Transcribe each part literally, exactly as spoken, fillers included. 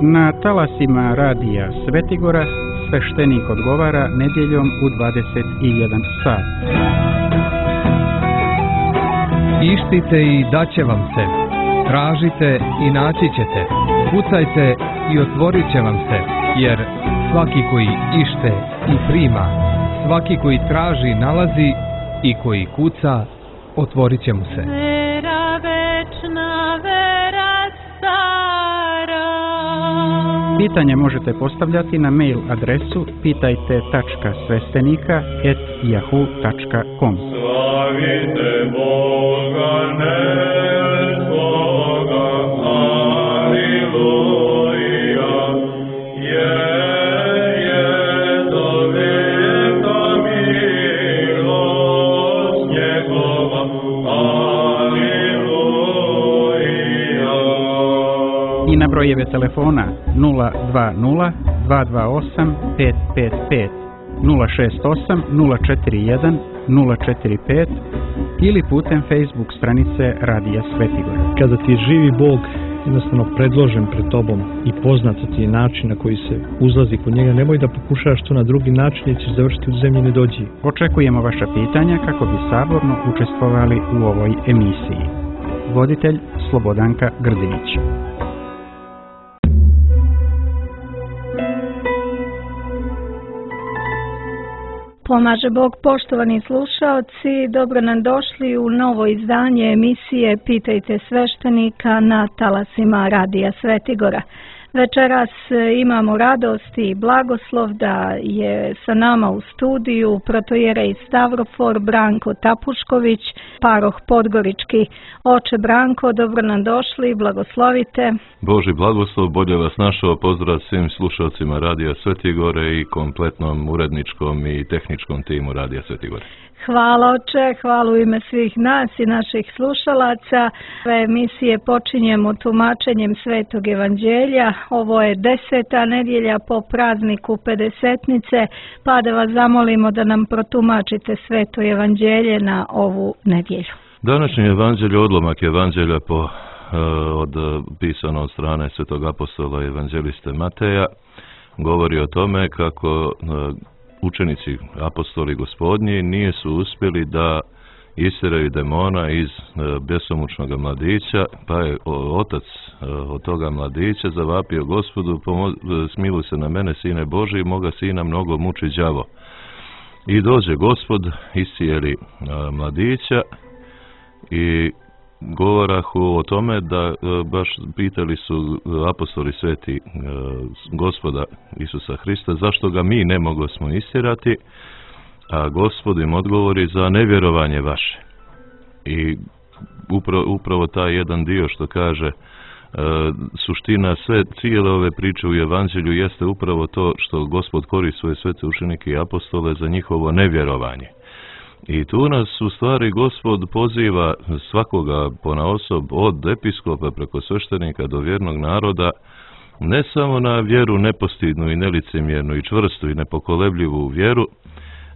Na talasima radija Svetigora sveštenik odgovara nedjeljom u dvadeset jedan sat. Ištite i daće vam se, tražite i naći ćete, kucajte i otvorit će vam se, jer svaki koji ište i prima, svaki koji traži nalazi i koji kuca otvorit će mu se. Vera večna, vera stara. Pitanje možete postavljati na mail adresu pitajte tačka sveštenika et yahoo tačka com. Slavite Boga neskoga, aleluja, je, je do veka milost njegova, aleluja. I na brojeve telefona nula dva nula dva dva osam pet pet pet, nula šest osam nula četiri jedan nula četiri pet ili putem Facebook stranice Radija Svetigora. Kada ti je živi Bog jednostavno predložen pred tobom i poznat ti je način na koji se uzlazi kod njega, nemoj da pokušaš to na drugi način jer ćeš završiti u zemlji nedođi. Očekujemo vaša pitanja kako bi saborno učestvovali u ovoj emisiji. Voditelj Slobodanka Grdinić. Pomaže Bog, poštovani slušaoci, dobro nam došli u novo izdanje emisije Pitajte sveštenika na talasima Radija Svetigora. Večeras imamo radost i blagoslov da je sa nama u studiju protojerej Stavrofor Branko Tapušković, paroh Podgorički. Oče Branko, dobro nam došli, blagoslovite. Boži blagoslov, bolje vas našao, pozdrav svim slušalcima Radija Svetigore i kompletnom uredničkom i tehničkom timu Radija Svetigore. Hvala oče, hvala u ime svih nas i naših slušalaca. Ove emisije počinjemo tumačenjem Svetog Evanđelja. Ovo je deseta nedjelja po prazniku Pedesetnice, pa da vas zamolimo da nam protumačite Sveto Evanđelje na ovu nedjelju. Današnji evanđelje, odlomak evanđelja po, uh, od, pisano od strane Svetog apostola i evanđeliste Mateja, govori o tome kako uh, učenici apostoli Gospodnji nije su uspjeli da isteraju demona iz bjesomučnog mladića, pa je otac od toga mladića zavapio Gospodu, smiluj se na mene, sine Boži, moga sina mnogo muči đavo. I dođe Gospod, iscijeli mladića i govorahu o tome da baš pitali su apostoli sveti Gospoda Isusa Hrista zašto ga mi ne mogosmo istjerati, a Gospod im odgovori za nevjerovanje vaše. I upravo, upravo taj jedan dio što kaže suština sve cijele ove priče u evanđelju jeste upravo to što Gospod koristi svoje svete učenike i apostole za njihovo nevjerovanje. I tu nas u stvari Gospod poziva svakoga ponaosob od episkopa preko sveštenika do vjernog naroda ne samo na vjeru nepostidnu i nelicemjernu i čvrstu i nepokolebljivu vjeru,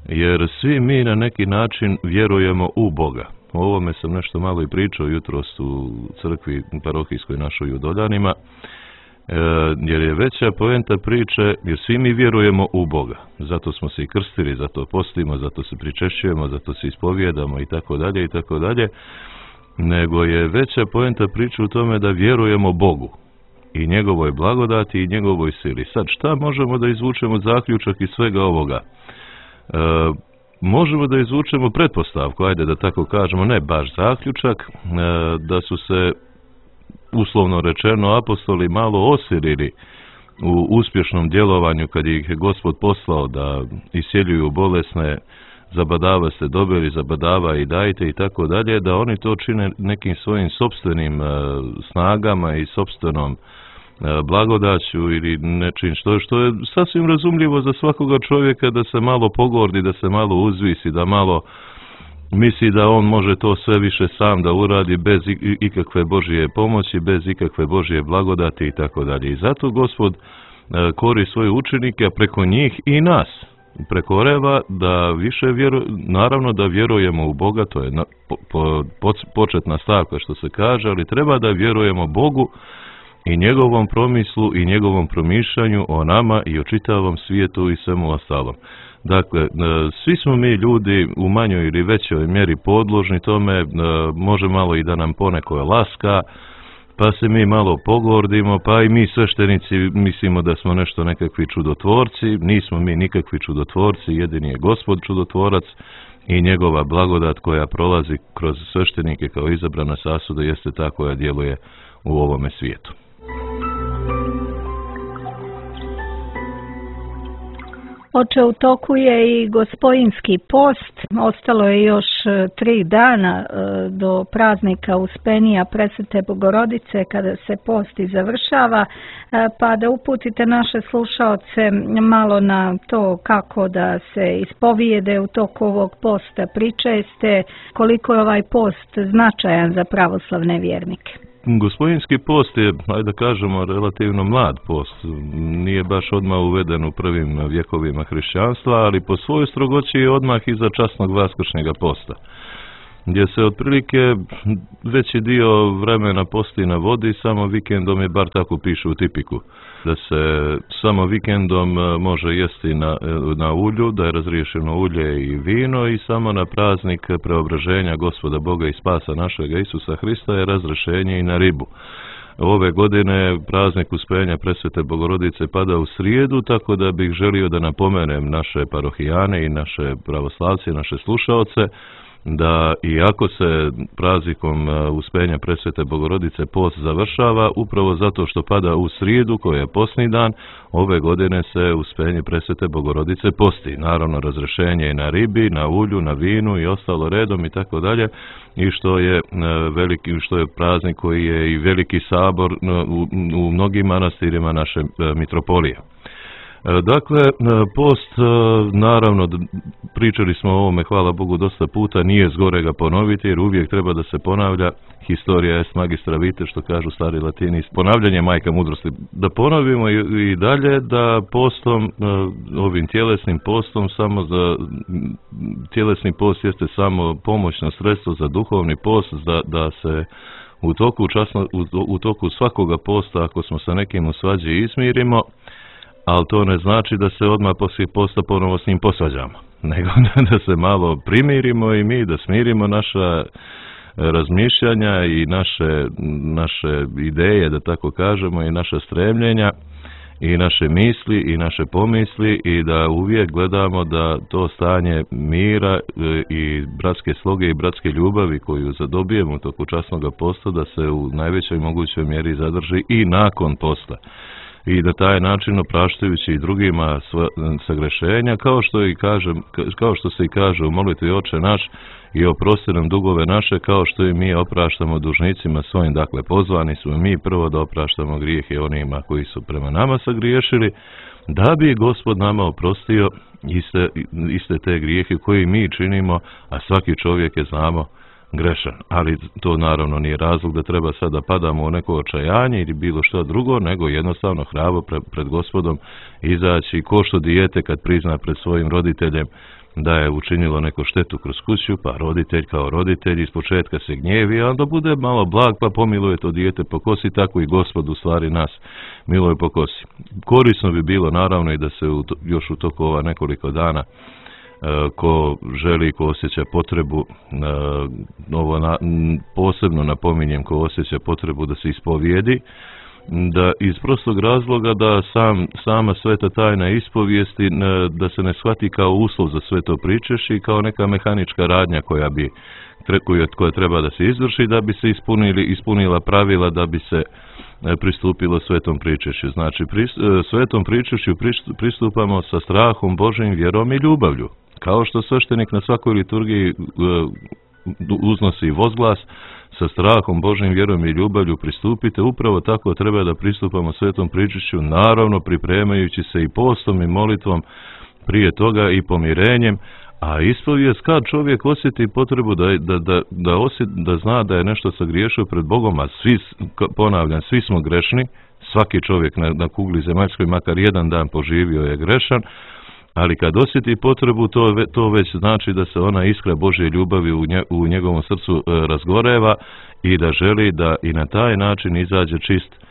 jer svi mi na neki način vjerujemo u Boga. O ovome sam nešto malo i pričao jutros u crkvi parohijskoj našoj u Doljanima, jer je veća poenta priče, jer svi mi vjerujemo u Boga. Zato smo se i krstili, zato postimo, zato se pričešćujemo, zato se ispovijedamo i tako dalje i tako dalje. Nego je veća poenta priče u tome da vjerujemo Bogu i njegovoj blagodati i njegovoj sili. Sad šta možemo da izvučemo zaključak iz svega ovoga? E, možemo da izvučemo pretpostavku, ajde da tako kažemo, ne baš zaključak, e, da su se uslovno rečeno apostoli malo osirili u uspješnom djelovanju kad ih je Gospod poslao da isjeljuju bolesne, zabadava ste dobili, zabadava i dajte i tako dalje, da oni to čine nekim svojim sopstvenim uh, snagama i sopstvenom uh, blagodaću ili nečim što, što je sasvim razumljivo za svakoga čovjeka da se malo pogordi, da se malo uzvisi, da malo misli da on može to sve više sam da uradi bez ikakve Božje pomoći, bez ikakve Božje blagodati i tako dalje. I zato Gospod kori svoje učenike, a preko njih i nas prekoreva da više vjeru, naravno da vjerujemo u Boga, to je na, po, po, početna stavka što se kaže, ali treba da vjerujemo Bogu i njegovom promislu i njegovom promišljanju o nama i o čitavom svijetu i svemu ostalom. Dakle, svi smo mi ljudi u manjoj ili većoj mjeri podložni tome, može malo i da nam poneko laska, pa se mi malo pogordimo, pa i mi sveštenici mislimo da smo nešto nekakvi čudotvorci. Nismo mi nikakvi čudotvorci, jedini je Gospod čudotvorac i njegova blagodat koja prolazi kroz sveštenike kao izabrana sasuda jeste ta koja djeluje u ovome svijetu. Oče, u toku je i Gospojinski post, ostalo je još tri dana do praznika Uspenija Presvete Bogorodice kada se post i završava, pa da uputite naše slušaoce malo na to kako da se ispovijede u toku ovog posta, pričeste, koliko je ovaj post značajan za pravoslavne vjernike. Gospojinski post je, ajde da kažemo, relativno mlad post. Nije baš odmah uveden u prvim vjekovima hrišćanstva, ali po svojoj strogoći je odmah iza časnog vaskršnjega posta, gdje se otprilike veći dio vremena posti na vodi, samo vikendom je, bar tako piše u tipiku, da se samo vikendom može jesti na, na ulju, da je razriješeno ulje i vino i samo na praznik preobraženja Gospoda Boga i spasa našega Isusa Hrista je razrešenje i na ribu. Ove godine praznik Uspenja Presvete Bogorodice pada u srijedu, tako da bih želio da napomenem naše parohijane i naše pravoslavce, naše slušaoce, da iako se praznikom Uspenja Presvete Bogorodice post završava, upravo zato što pada u srijedu, koja je postni dan, ove godine se Uspenje Presvete Bogorodice posti. Naravno, razrešenje i na ribi, na ulju, na vinu i ostalo redom i tako dalje, i što je veliki, što je praznik koji je i veliki sabor u, u mnogim manastirima naše mitropolije. Dakle, post, naravno, pričali smo o ovome, hvala Bogu, dosta puta, nije zgore ga ponoviti, jer uvijek treba da se ponavlja, historia est magistra vitae, što kažu stari Latini, ponavljanje majka mudrosti. Da ponovimo i, i dalje da postom, ovim tjelesnim postom, samo za, tjelesni post jeste samo pomoćno sredstvo za duhovni post, da, da se u toku, časno, u, u toku svakoga posta, ako smo sa nekim u svađi, izmirimo, ali to ne znači da se odmah poslije posta ponovo s njim posvađamo, nego da se malo primirimo i mi, da smirimo naša razmišljanja i naše, naše ideje, da tako kažemo, i naša stremljenja i naše misli i naše pomisli, i da uvijek gledamo da to stanje mira i bratske sloge i bratske ljubavi koju zadobijemo u toku časnog posta, da se u najvećoj mogućoj mjeri zadrži i nakon posta. I da taj način, opraštajući i drugima sva, sagrešenja, kao što, i kažem, kao što se i kaže u molitvi Oče naš, i oprosti nam dugove naše, kao što i mi opraštamo dužnicima svojim. Dakle, pozvani smo mi prvo da opraštamo grijehe onima koji su prema nama sagriješili, da bi Gospod nama oprostio iste, iste te grijehe koje mi činimo, a svaki čovjek je, znamo, grešan. Ali to naravno nije razlog da treba sada da padamo u neko očajanje ili bilo što drugo, nego jednostavno hrabro pred, pred Gospodom izaći, ko što dijete kad prizna pred svojim roditeljem da je učinilo neku štetu kroz kuću, pa roditelj kao roditelj iz početka se gnjevi, a onda bude malo blag pa pomiluje to dijete po kosi, tako i Gospod u stvari nas miluje po kosi. Korisno bi bilo naravno i da se u to, još u toku ova nekoliko dana ko želi, ko osjeća potrebu, ovo na, posebno napominjem, ko osjeća potrebu da se ispovijedi, da iz prostog razloga da sam, sama sveta tajna ispovijesti, da se ne shvati kao uslov za sve to pričešće i kao neka mehanička radnja koja bi koja treba da se izvrši da bi se ispunili, ispunila pravila da bi se pristupilo svetom pričešću. Znači, svetom pričešću pristupamo sa strahom Božjim, vjerom i ljubavlju. Kao što sveštenik na svakoj liturgiji uznosi vozglas, sa strahom Božjim, vjerom i ljubavlju pristupite, upravo tako treba da pristupamo svetom pričešću, naravno pripremajući se i postom i molitvom prije toga i pomirenjem, a ispovijest kad čovjek osjeti potrebu da, da, da, da, osjeti, da zna da je nešto sagriješio pred Bogom, a svi, ponavljam, svi smo grešni, svaki čovjek na, na kugli zemaljskoj makar jedan dan poživio je grešan, ali kad osjeti potrebu, to, to već znači da se ona iskra Božje ljubavi u, nje, u njegovom srcu e, razgoreva i da želi da i na taj način izađe čist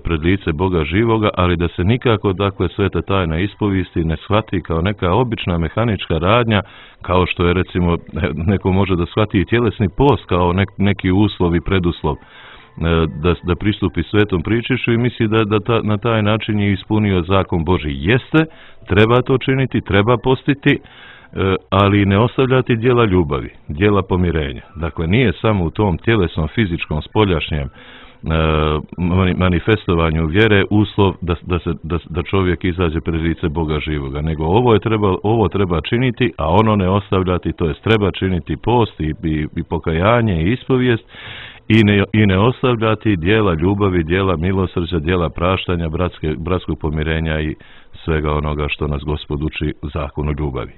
pred lice Boga živoga, ali da se nikako dakle sveta tajna ispovijesti ne shvati kao neka obična mehanička radnja, kao što je recimo neko može da shvati i tjelesni post kao nek, neki uslov i preduslov da, da pristupi svetom pričišću i misli da, da ta, na taj način je ispunio zakon Božji. Jeste, treba to činiti, treba postiti, ali ne ostavljati djela ljubavi, djela pomirenja. Dakle, nije samo u tom tjelesnom, fizičkom, spoljašnjem manifestovanju vjere uslov da, da, se, da, da čovjek izađe pred lice Boga živoga, nego ovo, je treba, ovo treba činiti, a ono ne ostavljati, to jest treba činiti post i, i, i pokajanje i ispovijest i ne, i ne ostavljati djela ljubavi, djela milosrđa, djela praštanja, bratske, bratskog pomirenja i svega onoga što nas Gospod uči u zakonu ljubavi.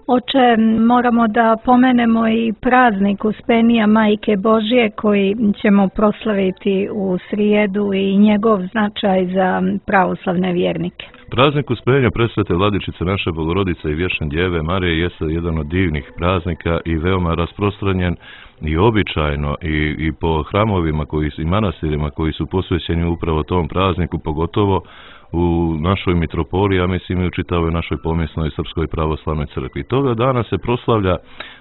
Oče, moramo da pomenemo i praznik Uspenija Majke Božje koji ćemo proslaviti u srijedu i njegov značaj za pravoslavne vjernike. Praznik Uspenja Presvete Vladičice naše Bogorodice i Vječne Djeve Marije jeste jedan od divnih praznika i veoma rasprostranjen i običajno i, i po hramovima koji, i manastirima koji su posvećeni upravo tom prazniku, pogotovo u našoj mitropoliji, a mislim i u čitavoj našoj pomjesnoj Srpskoj pravoslavnoj crkvi. Toga dana se proslavlja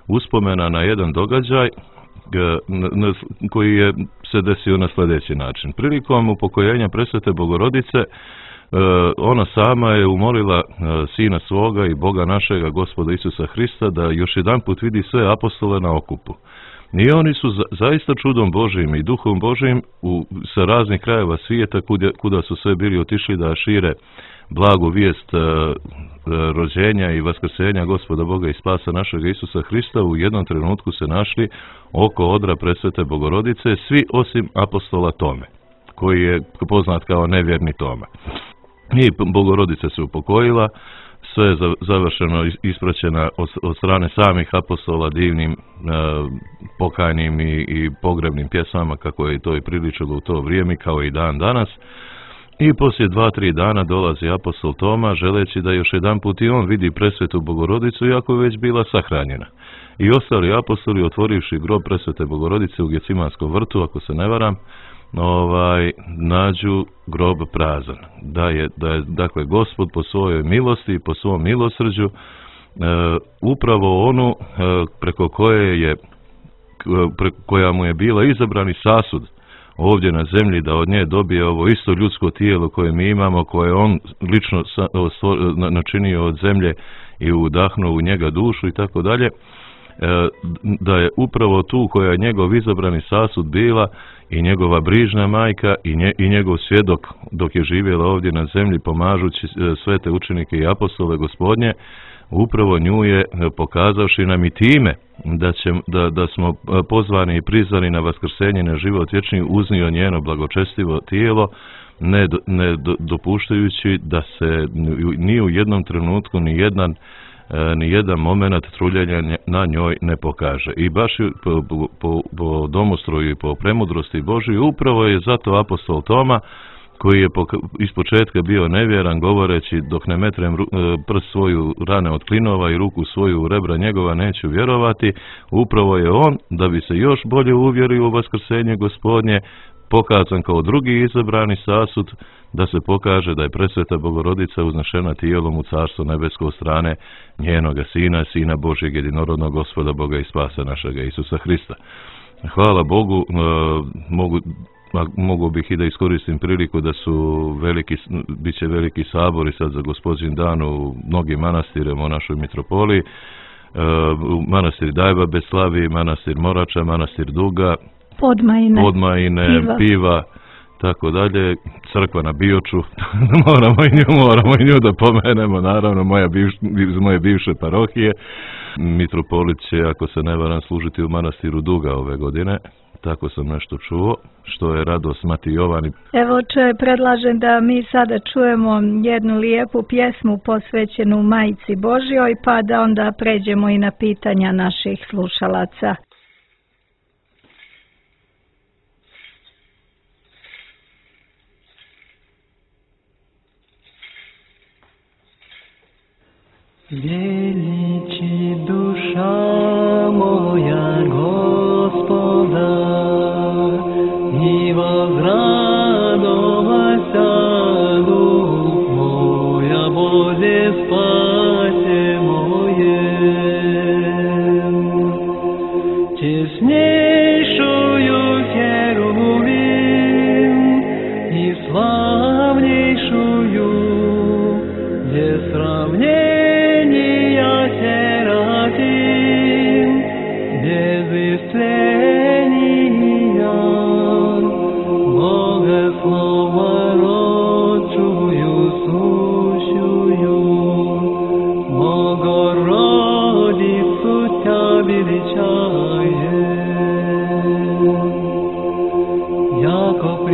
uspomena na jedan događaj koji je se desio na sljedeći način. Prilikom upokojenja Presvete Bogorodice, ona sama je umolila Sina svoga i Boga našega, Gospoda Isusa Hrista, da još jedan put vidi sve apostole na okupu. I oni su za, zaista čudom Božijim i duhom Božijim u, sa raznih krajeva svijeta kuda, kuda su sve bili otišli da šire blagu vijest e, rođenja i vaskrsenja Gospoda Boga i spasa našega Isusa Hrista, u jednom trenutku se našli oko odra Presvete Bogorodice, svi osim apostola Tome, koji je poznat kao nevjerni Toma. I Bogorodica se upokojila, sve je završeno, ispraćena od, od strane samih apostola divnim e, pokajnim i, i pogrebnim pjesama, kako je to i priličilo u to vrijeme, kao i dan danas. I poslije dva, tri dana dolazi apostol Toma, želeći da još jedan put i on vidi Presvetu Bogorodicu, iako je već bila sahranjena. I ostali apostoli, otvorivši grob Presvete Bogorodice u Gecimanskom vrtu, ako se ne varam, ovaj, nađu grob prazan. Da je, da je, dakle, Gospod po svojoj milosti i po svom milosrđu e, upravo onu e, preko koje je, preko koja mu je bila izabrani sasud ovdje na zemlji, da od nje dobije ovo isto ljudsko tijelo koje mi imamo, koje on lično načinio od zemlje i udahnuo u njega dušu i tako dalje, da je upravo tu koja je njegov izabrani sasud bila i njegova brižna majka i, nje, i njegov svjedok dok je živjela ovdje na zemlji pomažući sve te učenike i apostole Gospodnje, upravo nju je, pokazavši nam i time da, će, da, da smo pozvani i prizvani na vaskrsenje na život vječni, uznio njeno blagočestivo tijelo, ne, ne dopuštajući da se ni u jednom trenutku ni jedan ni jedan moment truljenja na njoj ne pokaže. I baš po, po, po domostroju i po premudrosti Božoj upravo je zato apostol Toma, koji je ispočetka bio nevjeran, govoreći dok ne metrem prst svoju rane od klinova i ruku svoju u rebra njegova neću vjerovati, upravo je on, da bi se još bolje uvjerio u vaskrsenje Gospodnje, pokazan kao drugi izabrani sasud, da se pokaže da je Presveta Bogorodica uznešena tijelom u Carstvo nebesko strane njenoga Sina, Sina Božjeg jedinorodnog Gospoda Boga i spasa našega Isusa Hrista. Hvala Bogu, mogu, mogu bih i da iskoristim priliku da su veliki, bit će veliki sabori sad za Gospodin dan u mnogim manastirima u našoj mitropoliji, manastir Dajba Beslavi, manastir Morača, manastir Duga, Podmajine, Podmajine piva. piva, tako dalje, crkva na Bioču, moramo i nju, moramo i nju da pomenemo, naravno, moja bivš, iz moje bivše parohije. Mitropolit će, ako se ne varam, služiti u manastiru Duga ove godine, tako sam nešto čuo, što je radost Mati Jovani. Evo, če, predlažem da mi sada čujemo jednu lijepu pjesmu posvećenu Majci Božjoj, pa da onda pređemo i na pitanja naših slušalaca. Vjeniči duša moja Gospoda,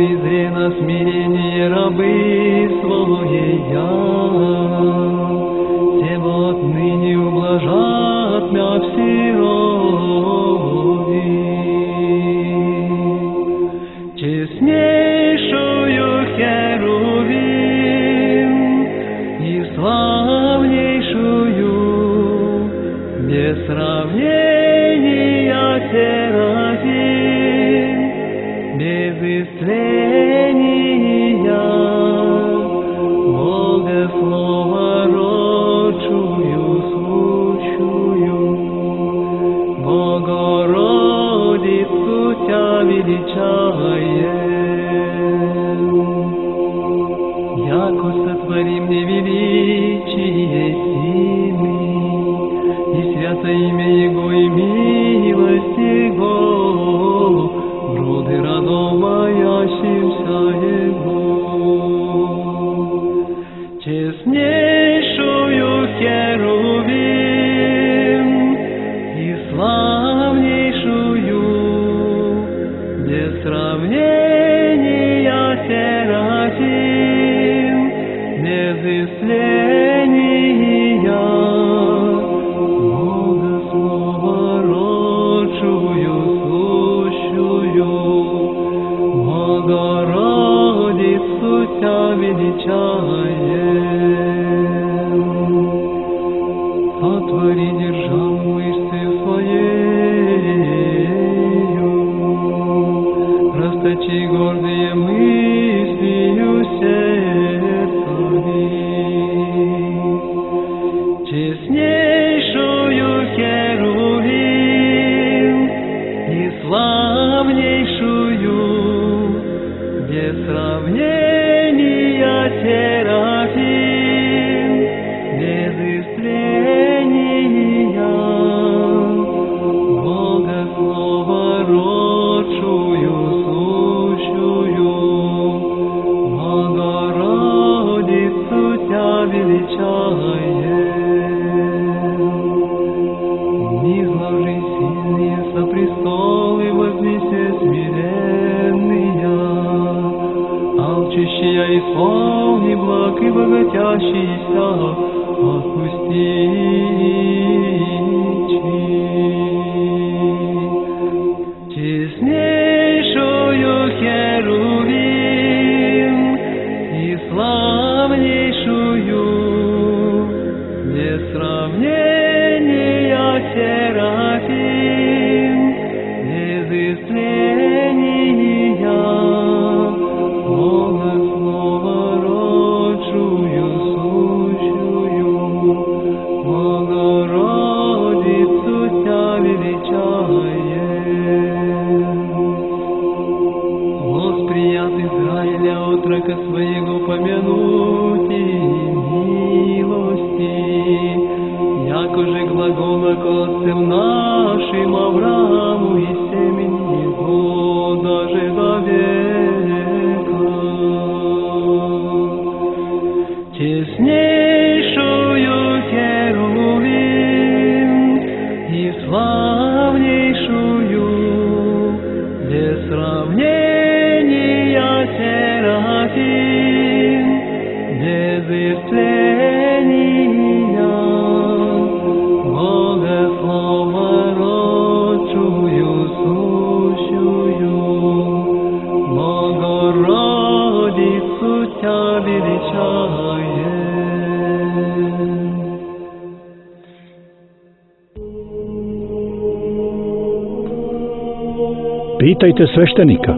призи на смирение рабы своя, тем отныне ублажат мя всерови. Честнейшую Херувим и славнейшую без сравнения Серафим, без исцеления Бога Слова родшую, сущую, Богородицу Тя величаем. Яко сотвори мне величие силы, и свято имя Его, и милость Его, роды родом боящимся Его. Честнейшую Херувим и славнейшую без сравнения Серафим, без исцеления Бога Слова родшую, сущую, Богородицу Тя величаем. Сотвори державу мышцы своею, расточи гордые мыслью сердцами. Честнейшую Херувим и славнейшую без сравнения Серафим, без исцеления Бога Слова родшую, сущую, Богородицу Тя величаем. Низложи сильные со престолы, вознесе смиренные, алчущие исполни благ и богатящийся отпусти. Честнейшую Херувим и славнейшую без сравнения Серафим, без исцеления Бога Слова родшую, сущую, Богородицу Тя величаем. Восприят Израиля отрока своего помянуть и милости, яко же глагола к отцам нашим Аврааму и семени его даже до века. Честнейшую Херувим и славнейшую без сравнения Серафим, без исцеления Бога Слова родшую, сущую, Богородицу Тя величаем. Pitajte sveštenika.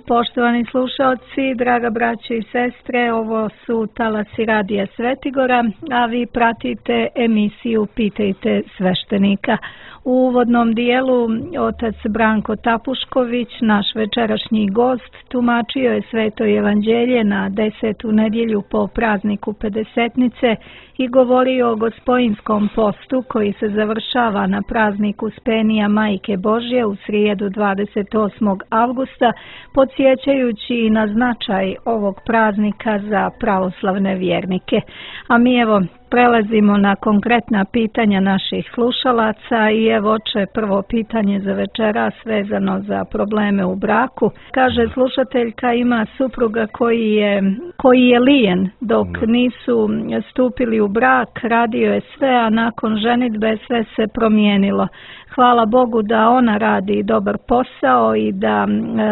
Poštovani slušalci, draga braće i sestre, ovo su talasi Radija Svetigora, a vi pratite emisiju Pitajte sveštenika. U uvodnom dijelu otac Branko Tapušković, naš večerašnji gost, tumačio je Sveto evanđelje na desetu nedjelju po prazniku Pedesetnice i govorio o Gospojinskom postu koji se završava na praznik Uspenija Majke Božje u srijedu dvadeset osmog avgusta, podsjećajući na značaj ovog praznika za pravoslavne vjernike. A mi evo prelazimo na konkretna pitanja naših slušalaca i evo oče prvo pitanje za večeras vezano za probleme u braku. Kaže slušateljka ima supruga koji je, koji je lijen dok nisu stupili u brak, radio je sve, a nakon ženidbe sve se promijenilo. Hvala Bogu da ona radi dobar posao i da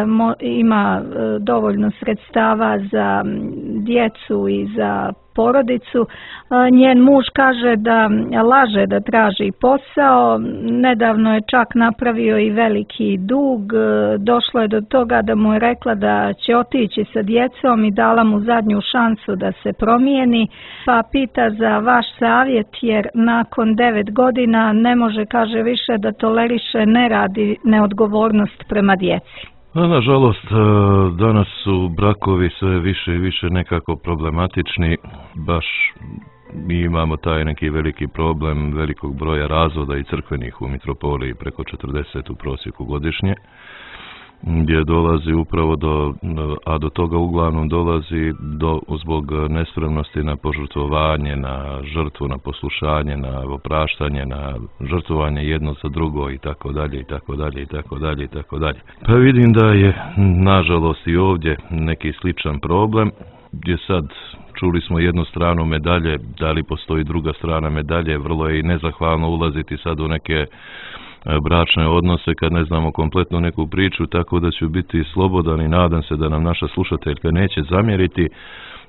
mo, ima dovoljno sredstava za djecu i za porodicu. Njen muž kaže da laže da traži posao, nedavno je čak napravio i veliki dug, došlo je do toga da mu je rekla da će otići sa djecom i dala mu zadnju šansu da se promijeni, pa pita za vaš savjet jer nakon devet godina ne može, kaže, više da toleriše nerad i neodgovornost prema djeci. A nažalost, danas su brakovi sve više i više nekako problematični, baš mi imamo taj neki veliki problem velikog broja razvoda i crkvenih u mitropoliji, preko četrdeset u prosjeku godišnje, gdje dolazi upravo do, a do toga uglavnom dolazi do, zbog nespremnosti na požrtvovanje, na žrtvu, na poslušanje, na opraštanje, na žrtvovanje jedno za drugo i tako dalje i tako dalje i tako dalje i tako dalje. Pa vidim da je nažalost i ovdje neki sličan problem, gdje sad čuli smo jednu stranu medalje, da li postoji druga strana medalje, vrlo je i nezahvalno ulaziti sad u neke bračne odnose kad ne znamo kompletno neku priču, tako da ću biti slobodan i nadam se da nam naša slušateljka neće zamjeriti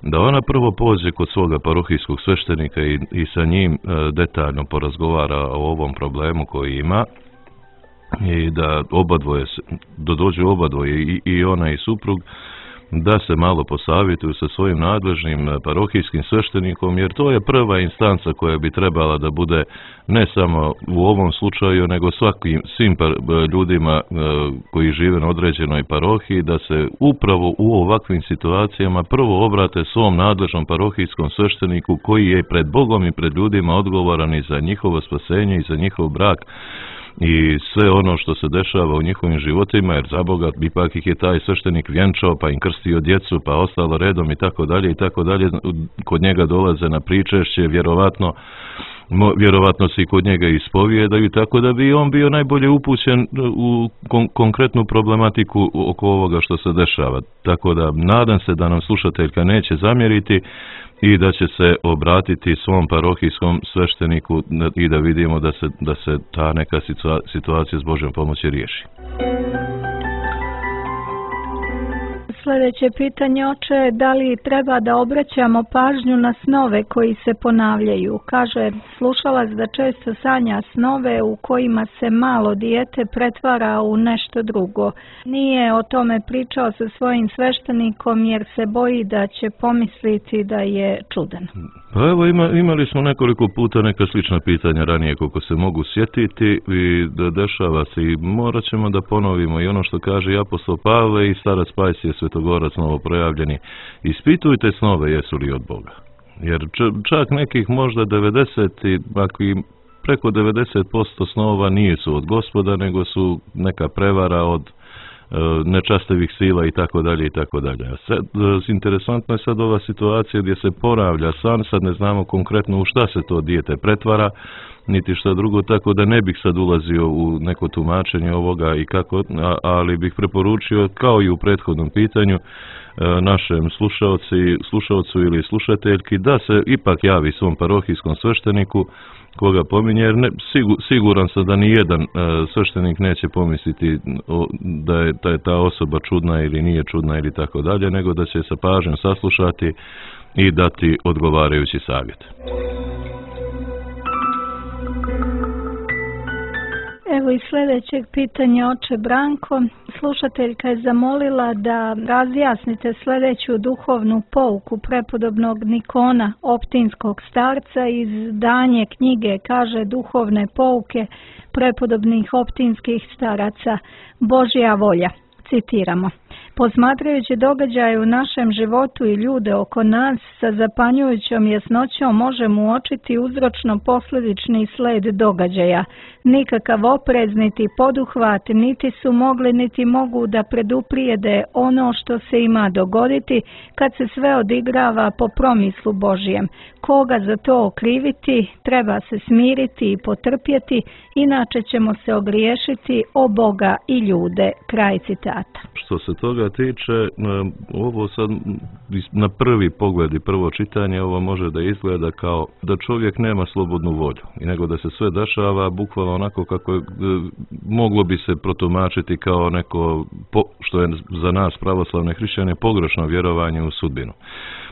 da ona prvo pođe kod svoga parohijskog sveštenika i, i sa njim e, detaljno porazgovara o ovom problemu koji ima i da obadvoje, da dođu obadvoje i, i ona i suprug, da se malo posavjetuju sa svojim nadležnim parohijskim sveštenikom, jer to je prva instanca koja bi trebala da bude ne samo u ovom slučaju, nego svakim, svim par, ljudima koji žive na određenoj parohiji, da se upravo u ovakvim situacijama prvo obrate svom nadležnom parohijskom svešteniku koji je pred Bogom i pred ljudima odgovoran i za njihovo spasenje i za njihov brak i sve ono što se dešava u njihovim životima, jer za Boga ipak ih je taj sveštenik vjenčao, pa im krstio djecu, pa ostalo redom i tako dalje i tako dalje. Kod njega dolaze na pričešće, vjerovatno vjerovatno se i kod njega ispovijedaju, tako da bi on bio najbolje upućen u kon- konkretnu problematiku oko ovoga što se dešava. Tako da nadam se da nam slušateljka neće zamjeriti i da će se obratiti svom parohijskom svešteniku i da vidimo da se, da se ta neka situacija s Božjom pomoći riješi. Sljedeće pitanje, oče, da li treba da obraćamo pažnju na snove koji se ponavljaju? Kaže slušalac da često sanja snove u kojima se malo dijete pretvara u nešto drugo. Nije o tome pričao sa svojim sveštenikom jer se boji da će pomisliti da je čudan. Pa evo ima, imali smo nekoliko puta neka slična pitanja ranije koliko se mogu sjetiti i da dešava se i morat ćemo da ponovimo i ono što kaže i apostol Pavle i starac Pajsije Svetogorac novoprojavljeni. Ispitujte snove jesu li od Boga. Jer čak nekih možda devedeset i ako i preko devedeset posto snova nije su od Gospoda nego su neka prevara od nečastivih sila i tako dalje i tako dalje. Sad, interesantno je sad ova situacija gdje se ponavlja san, sad ne znamo konkretno u šta se to dijete pretvara, niti šta drugo, tako da ne bih sad ulazio u neko tumačenje ovoga i kako, ali bih preporučio, kao i u prethodnom pitanju, našem slušaoci, slušaocu ili slušateljki da se ipak javi svom parohijskom svešteniku koga pominje, jer ne, sigur, siguran sam da ni jedan e, sveštenik neće pomisliti o, da, je, da je ta osoba čudna ili nije čudna ili tako dalje, nego da će sa pažnjom saslušati i dati odgovarajući savjet. Evo i sljedećeg pitanja, oče Branko. Slušateljka je zamolila da razjasnite sljedeću duhovnu pouku prepodobnog Nikona, optinskog starca, iz izdanje knjige, kaže, duhovne pouke prepodobnih optinskih staraca, Božja volja. Citiramo: posmatrajući događaje u našem životu i ljude oko nas, sa zapanjujućom jasnoćom možemo uočiti uzročno-posljedični sled događaja. Nikakav oprez niti poduhvat niti su mogli niti mogu da preduprijede ono što se ima dogoditi kad se sve odigrava po promislu Božijem. Koga za to okriviti, treba se smiriti i potrpjeti, inače ćemo se ogriješiti o Boga i ljude. Kraj citata. Što se toga tiče, ovo sad na prvi pogled i prvo čitanje ovo može da izgleda kao da čovjek nema slobodnu volju i nego da se sve dešava bukvalno onako kako je, moglo bi se protumačiti kao neko, što je za nas pravoslavne hrišćane, pogrešno vjerovanje u sudbinu.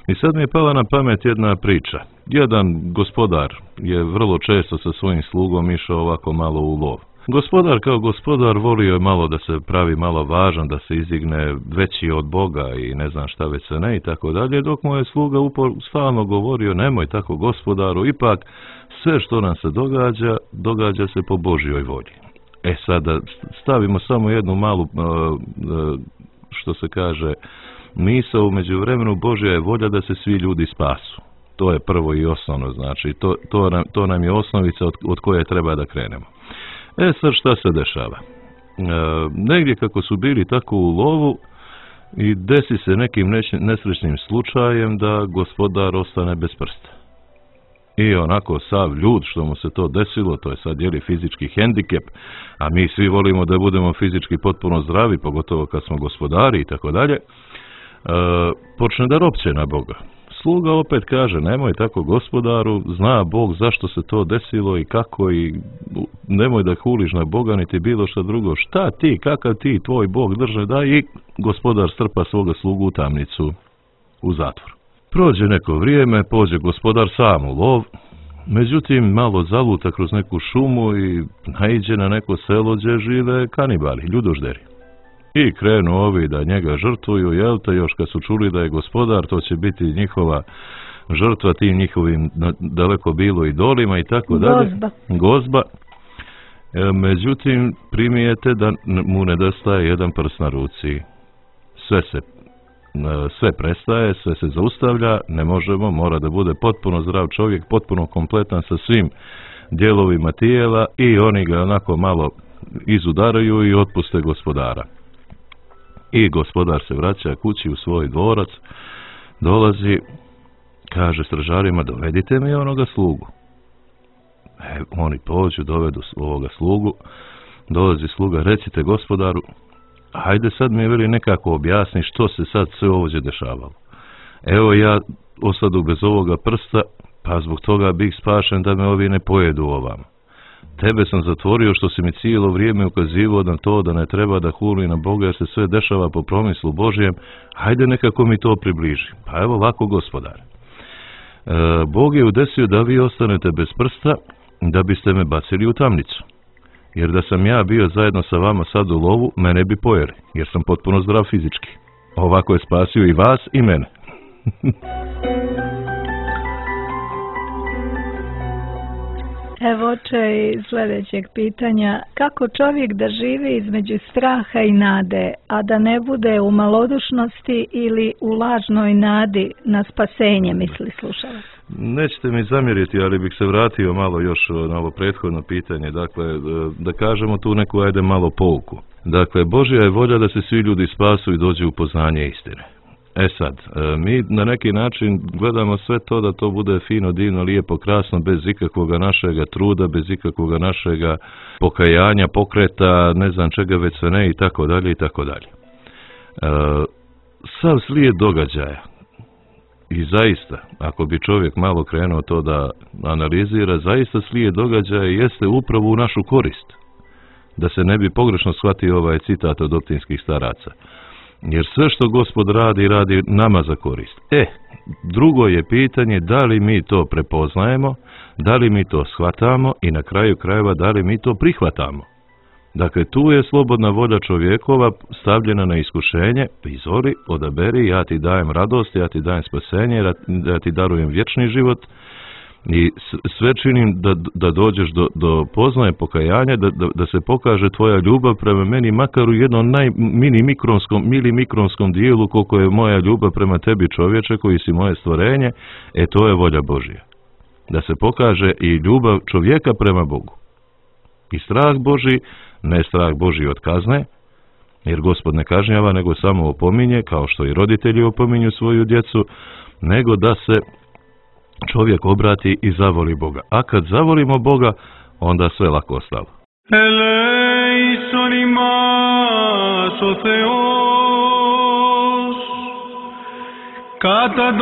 I sad mi je pala na pamet jedna priča. Jedan gospodar je vrlo često sa svojim slugom išao ovako malo u lov. Gospodar kao gospodar volio je malo da se pravi malo važan, da se izigne veći od Boga i ne znam šta već se ne i tako dalje, dok mu je sluga upor stalno govorio: nemoj tako gospodaru, ipak sve što nam se događa, događa se po Božjoj volji. E sada stavimo samo jednu malu, što se kaže, misao u međuvremenu. Božja je volja da se svi ljudi spasu. To je prvo i osnovno, znači to, to, nam, to nam je osnovica od, od koje treba da krenemo. E sad šta se dešava? E, negdje kako su bili tako u lovu i desi se nekim nesrećnim slučajem da gospodar ostane bez prsta. I onako sav ljud što mu se to desilo, to je sad jeli fizički hendikep, a mi svi volimo da budemo fizički potpuno zdravi, pogotovo kad smo gospodari i tako dalje, počne da ropće na Boga. Sluga opet kaže: nemoj tako gospodaru, zna Bog zašto se to desilo i kako, i nemoj da huliš na Boga niti bilo što drugo. Šta ti, kakav ti, tvoj Bog drže da, i gospodar strpa svoga slugu u tamnicu, u zatvor. Prođe neko vrijeme, pođe gospodar sam u lov, međutim malo zaluta kroz neku šumu i naiđe na neko selo gdje žive kanibali, ljudožderi. I krenu ovi da njega žrtvuju, jel te, još kad su čuli da je gospodar, to će biti njihova žrtva tim njihovim daleko bilo idolima i tako dalje. Gozba. Gozba. E, međutim, primijete da mu nedostaje jedan prst na ruci. Sve se, sve prestaje, sve se zaustavlja, ne možemo, mora da bude potpuno zdrav čovjek, potpuno kompletan sa svim dijelovima tijela, i oni ga onako malo izudaraju i otpuste gospodara. I gospodar se vraća kući u svoj dvorac, dolazi, kaže stražarima: dovedite mi onoga slugu. E, oni pođu, dovedu ovoga slugu, dolazi sluga: recite gospodaru, hajde sad mi veli nekako objasni što se sad sve ovdje dešavalo. Evo ja osadu bez ovoga prsta, pa zbog toga bih spašen da me ovi ne pojedu ovamo. Tebe sam zatvorio što si mi cijelo vrijeme ukazivao na to da ne treba da huli na Boga jer se sve dešava po promislu Božijem. Hajde nekako mi to približi. Pa evo lako gospodar. E, Bog je udesio da vi ostanete bez prsta da biste me bacili u tamnicu. Jer da sam ja bio zajedno sa vama sad u lovu, mene bi pojeli, jer sam potpuno zdrav fizički. Ovako je spasio i vas i mene. Evo oče iz sljedećeg pitanja: kako čovjek da živi između straha i nade, a da ne bude u malodušnosti ili u lažnoj nadi na spasenje, misli slušalac? Nećete mi zamjeriti, ali bih se vratio malo još na ovo prethodno pitanje. Dakle, da kažemo tu neku, ajde, malo pouku. Dakle, Božja je volja da se svi ljudi spasu i dođu u poznanje istine. E sad, mi na neki način gledamo sve to da to bude fino, divno, lijepo, krasno, bez ikakvoga našega truda, bez ikakvoga našega pokajanja, pokreta, ne znam čega već sve ne, i tako dalje i tako dalje. Sav slijed događaja, i zaista, ako bi čovjek malo krenuo to da analizira, zaista slijed događaja jeste upravo u našu korist. Da se ne bi pogrešno shvatio ovaj citat od optinskih staraca. Jer sve što Gospod radi, radi nama za korist. E, drugo je pitanje da li mi to prepoznajemo, da li mi to shvatamo i na kraju krajeva da li mi to prihvatamo. Dakle, tu je slobodna volja čovjekova stavljena na iskušenje: izvoli, odaberi, ja ti dajem radost, ja ti dajem spasenje, ja ti darujem vječni život, I sve činim da, da dođeš do, do poznaje pokajanja, da, da, da se pokaže tvoja ljubav prema meni, makar u jednom najmini mikronskom, milimikronskom dijelu koliko je moja ljubav prema tebi čovječe koji si moje stvorenje, e to je volja Božja. Da se pokaže i ljubav čovjeka prema Bogu. I strah Božji, ne strah Božji od kazne, jer Gospod ne kažnjava, nego samo opominje, kao što i roditelji opominju svoju djecu, nego da se čovjek obrati i zavoli Boga. A kad zavolimo Boga, onda sve lako ostalo. Eleison imas o Θεός κατά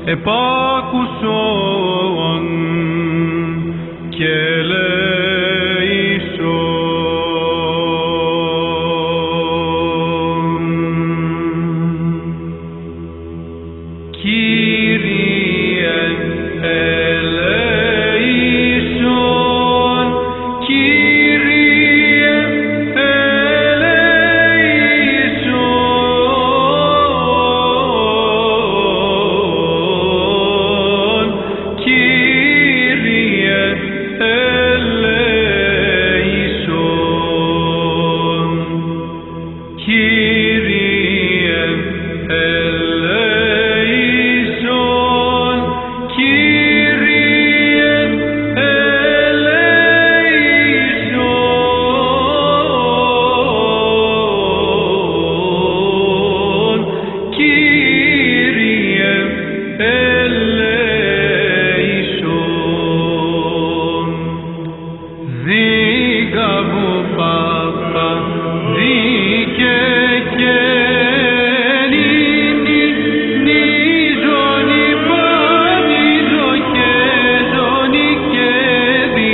επάκουσον και ελέησον. Κύριε ελέησον, Κύριε ελέησον, Κύριε ελέησον, Κύριε ελέησον, Κύριε ελέησον, Κύριε ελέησον. Δίκαβο Πάπα, δίκαι και νίνι, νίζονι πανίζο και ζωνι και δι,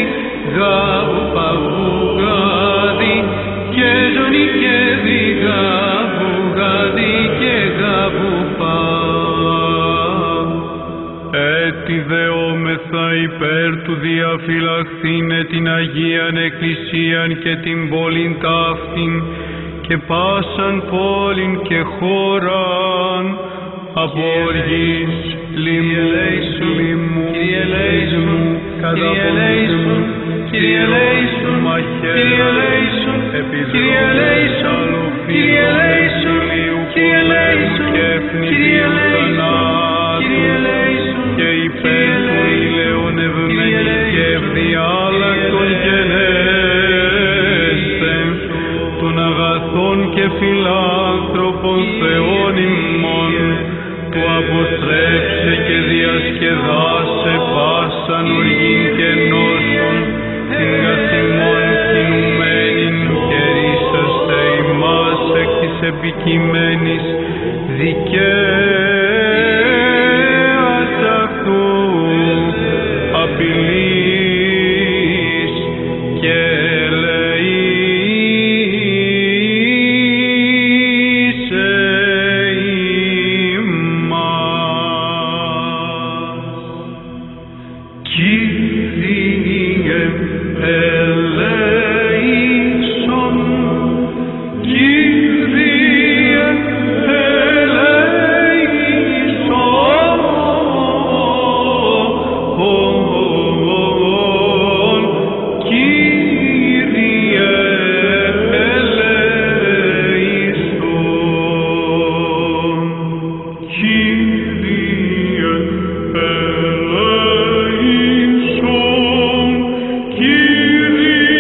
γάβο παβουγάδι και ζωνι και δι, γάβουγάδι και γάβο πα. Έτσι δεόμεθα υπέρ του διαφυλαχθήνε την Αγίαν Εκκλησίαν και την πόλην ταύτην και πάσαν πόλην και χώραν από οργής, λοιμού, λοιμού, καταποντούν, μαχαίραν, επιδρόμες, αλοφύλων, ηλίου πολέμου και ευνηδίου θανάτου και υπέρ του ηλαιονευμένη και ευδιάλακτον γενέστεν των αγαθών και φιλάνθρωπων Θεών ημών που αποστρέψε και διασκεδάσε πάσαν οργήν και νόσων την καθημών κινουμένην και ρίσαστε ημάς εκ της επικειμένης δικαίας αυτού απειλής και ελεήσε ημάς. Κύριε ελέησον, Κύριε ελέησον, Κύριε ελέησον, Κύριε ελέησον, Κύριε ελέησον,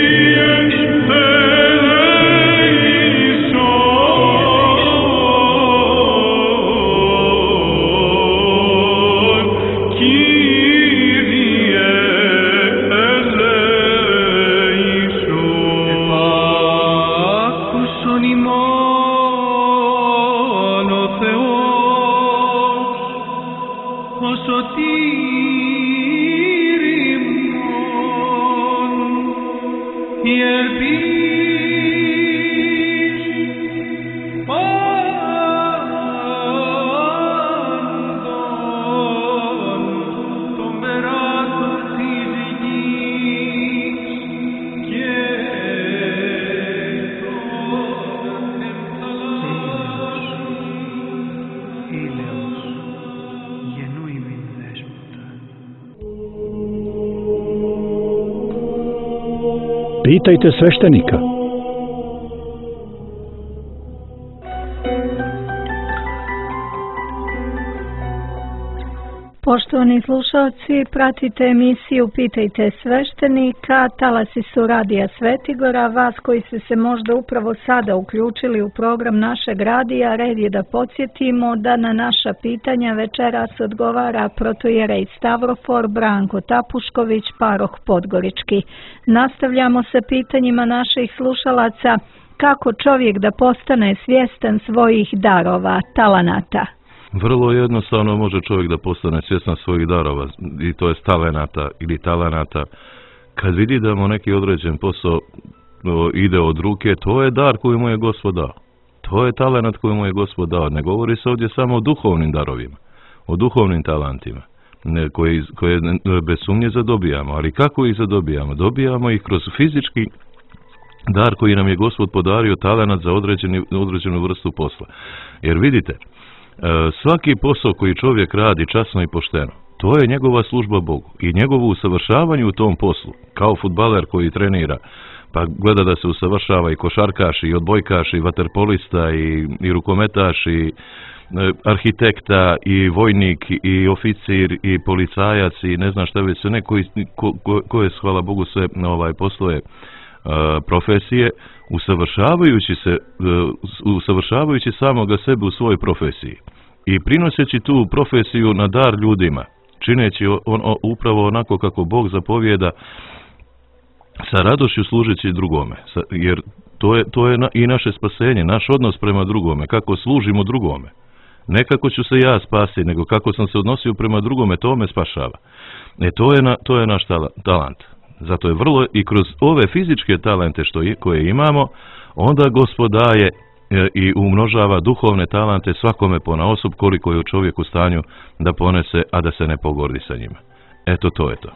Κύριε ελέησον. Επάκουσον ημών ο Θεός, ο σωτήρ ημών, η ελπίς Pitajte sveštenika. Poštovani slušalci, pratite emisiju Pitajte sveštenika, talasi su Radija Svetigora. Vas koji ste se možda upravo sada uključili u program našeg radija, red je da podsjetimo da na naša pitanja večeras odgovara protojerej Stavrofor Branko Tapušković, paroh Podgorički. Nastavljamo sa pitanjima naših slušalaca. Kako čovjek da postane svjestan svojih darova, talenata? Vrlo jednostavno može čovjek da postane svjestan svojih darova, i to je talenata ili talenata. Kad vidi da mu neki određen posao o, ide od ruke, to je dar koji mu je Gospod dao. To je talenat koji mu je Gospod dao. Ne govori se ovdje samo o duhovnim darovima, o duhovnim talentima, ne, koje, koje bez sumnje zadobijamo. Ali kako ih zadobijamo? Dobijamo ih kroz fizički dar koji nam je Gospod podario, talenat za određeni, određenu vrstu posla. Jer vidite, svaki posao koji čovjek radi časno i pošteno, to je njegova služba Bogu i njegovo usavršavanje u tom poslu, kao fudbaler koji trenira, pa gleda da se usavršava i košarkaš, i odbojkaš, i vaterpolista, i, i rukometaš, i arhitekta, i vojnik, i oficir, i policajac, i ne znam šta već sve ne, koji, ko, ko, koje, hvala Bogu, sve ovaj, posloje profesije, usavršavajući se, usavršavajući samoga sebe u svojoj profesiji i prinoseći tu profesiju na dar ljudima, čineći on, on, upravo onako kako Bog zapovijeda, sa radošću služeći drugome, sa, jer to je, to je na, i naše spasenje, naš odnos prema drugome, kako služimo drugome. Ne kako ću se ja spasti, nego kako sam se odnosio prema drugome, to me spašava. E, to je, na, to je naš talant. Zato je vrlo i kroz ove fizičke talente što je, koje imamo, onda Gospod daje e, i umnožava duhovne talente svakome ponaosob koliko je u čovjeku u stanju da ponese, a da se ne pogordi sa njima. Eto, to je to.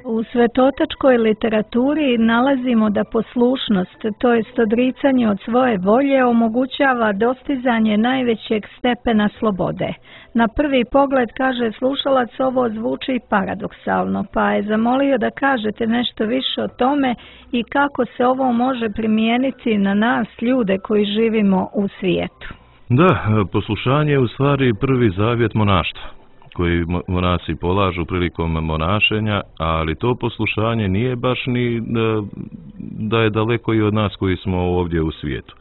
U svetotačkoj literaturi nalazimo da poslušnost, to jest odricanje od svoje volje, omogućava dostizanje najvećeg stepena slobode. Na prvi pogled, kaže slušalac, ovo zvuči paradoksalno, pa je zamolio da kažete nešto više o tome i kako se ovo može primijeniti na nas, ljude koji živimo u svijetu. Da, poslušanje je u stvari prvi zavjet monaštva koji monasi polažu prilikom monašenja, ali to poslušanje nije baš ni da je daleko i od nas koji smo ovdje u svijetu.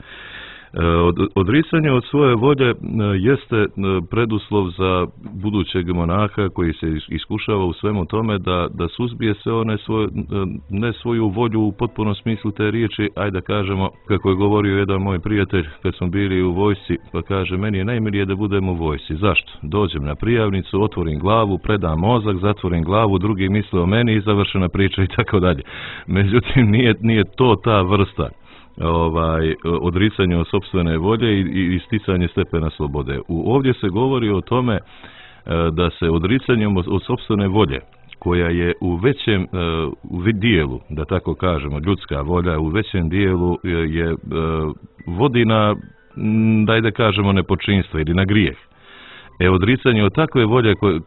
Od, odricanje od svoje volje jeste preduslov za budućeg monaha koji se iskušava u svemu tome da, da suzbije sve one svoje, ne svoju volju u potpunom smislu te riječi, ajde da kažemo, kako je govorio jedan moj prijatelj kad smo bili u vojsci, pa kaže, meni je najmilije da budem u vojsci. Zašto? Dođem na prijavnicu, otvorim glavu, predam mozak, zatvorim glavu, drugi misle o meni i završena priča i tako dalje. Međutim, nije, nije to ta vrsta ovaj odricanje od sopstvene volje i, i isticanje stepena slobode. U, ovdje se govori o tome e, da se odricanjem od, od sopstvene volje, koja je u većem e, u dijelu, da tako kažemo, ljudska volja u većem dijelu je, je e, vodi na, daj da kažemo, nepočinstvo ili na grijeh. E, odricanje od takve volje, koje,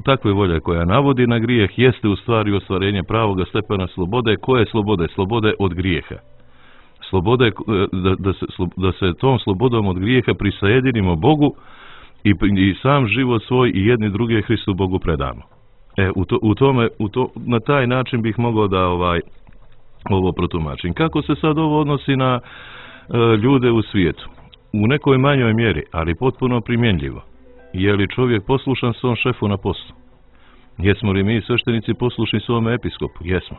takve volje koja navodi na grijeh jeste u stvari ostvarenje pravoga stepena slobode. Koje slobode? Slobode od grijeha. Slobode, da, da, se, da se tom slobodom od grijeha prisajedinimo Bogu i, i sam život svoj i jedni druge Hristu Bogu predamo. E, u to, u tome, u to, na taj način bih mogao da ovaj, ovo protumačim. Kako se sad ovo odnosi na e, ljude u svijetu? U nekoj manjoj mjeri, ali potpuno primjenljivo. Je li čovjek poslušan svom šefu na poslu? Jesmo li mi sveštenici poslušni svome episkopu? Jesmo.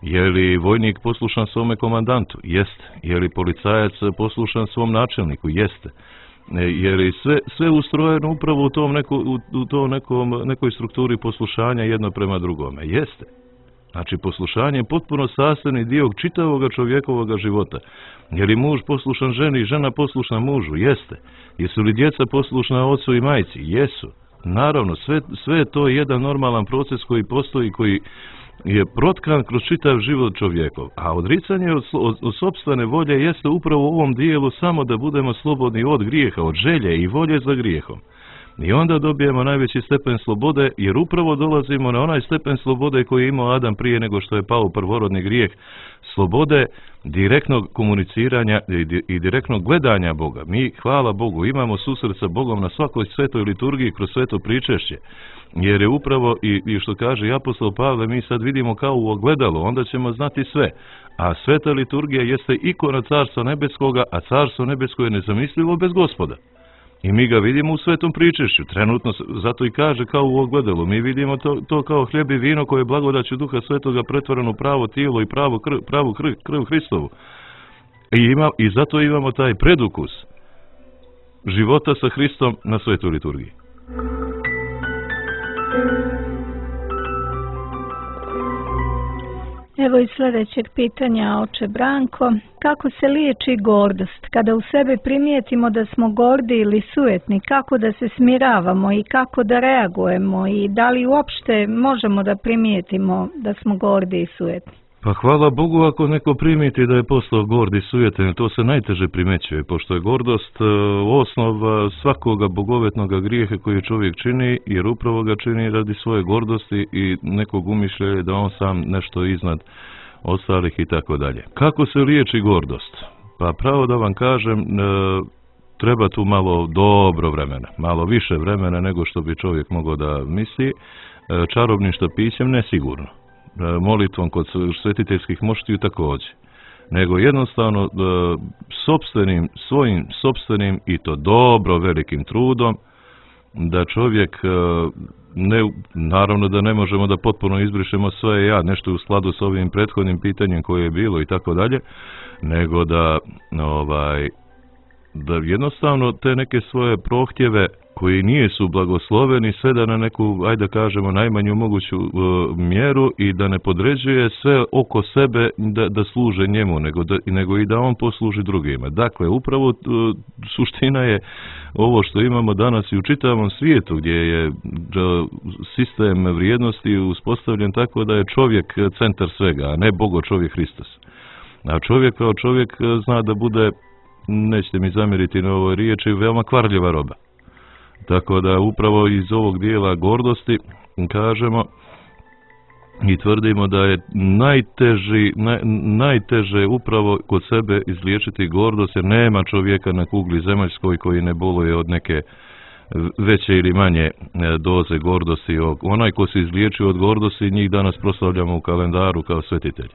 Je li vojnik poslušan svome komandantu? Jeste. Je li policajac poslušan svom načelniku? Jeste. Je li sve, sve ustrojeno upravo u tom, neko, u, u tom nekom, nekoj strukturi poslušanja jedno prema drugome? Jeste. Znači, poslušanje je potpuno sastavni dio čitavoga čovjekovoga života. Je li muž poslušan ženi i žena poslušna mužu? Jeste. Jesu li djeca poslušna ocu i majci? Jesu. Naravno, sve, sve to je jedan normalan proces koji postoji, koji je protkan kroz čitav život čovjekov. A odricanje od, od, od sopstvene volje jeste upravo u ovom dijelu samo da budemo slobodni od grijeha, od želje i volje za grijehom. I onda dobijemo najveći stepen slobode, jer upravo dolazimo na onaj stepen slobode koji je imao Adam prije nego što je pao u prvorodni grijeh, slobode direktnog komuniciranja i direktnog gledanja Boga. Mi, hvala Bogu, imamo susret sa Bogom na svakoj svetoj liturgiji kroz sveto pričešće, jer je upravo, i, i što kaže apostol Pavle, mi sad vidimo kao u ogledalu, onda ćemo znati sve. A sveta liturgija jeste ikona Carstva nebeskoga, a Carstvo nebesko je nezamislivo bez Gospoda. I mi ga vidimo u svetom pričešću, trenutno, zato i kaže kao u ogledalu. Mi vidimo to, to kao hljeb i vino koje je blagodaću Duha Svetoga pretvoreno pravo tijelo i pravo krv, pravu krv, krv Hristovu. I, ima, I zato imamo taj predukus života sa Hristom na svetoj liturgiji. Evo i sljedećeg pitanja, oče Branko. Kako se liječi gordost? Kada u sebi primijetimo da smo gordi ili sujetni, kako da se smiravamo i kako da reagujemo i da li uopšte možemo da primijetimo da smo gordi i sujetni? Pa hvala Bogu ako neko primiti da je postao gord i sujetan, to se najteže primećuje, pošto je gordost osnova svakoga bogovetnog grijeha koji čovjek čini, jer upravo ga čini radi svoje gordosti i nekog umišljaja da on sam nešto iznad ostalih i tako dalje. Kako se liječi gordost? Pa pravo da vam kažem, treba tu malo dobro vremena, malo više vremena nego što bi čovjek mogao da misli, čarobnim štapićem nesigurno. Molitvom kod svetiteljskih moštiju također, nego jednostavno sopstvenim, svojim sopstvenim i to dobro velikim trudom da čovjek, ne, naravno da ne možemo da potpuno izbrišemo sve ja, nešto u skladu s ovim prethodnim pitanjem koje je bilo i tako dalje, nego da ovaj da jednostavno te neke svoje prohtjeve koji nisu blagosloveni sveda na neku, ajde kažemo, najmanju moguću uh, mjeru i da ne podređuje sve oko sebe da, da služe njemu, nego, da, nego i da on posluži drugima. Dakle, upravo uh, suština je ovo što imamo danas i u čitavom svijetu, gdje je uh, sistem vrijednosti uspostavljen tako da je čovjek centar svega, a ne Bogo čovjek Hristos. A čovjek kao čovjek zna da bude, nećete mi zamjeriti na ovoj riječi, veoma kvarljiva roba. Tako da upravo iz ovog dijela gordosti kažemo i tvrdimo da je najteži, naj, najteže upravo kod sebe izliječiti gordost, jer nema čovjeka na kugli zemaljskoj koji ne boluje od neke veće ili manje doze gordosti. Onaj ko se izliječio od gordosti, njih danas proslavljamo u kalendaru kao svetitelj.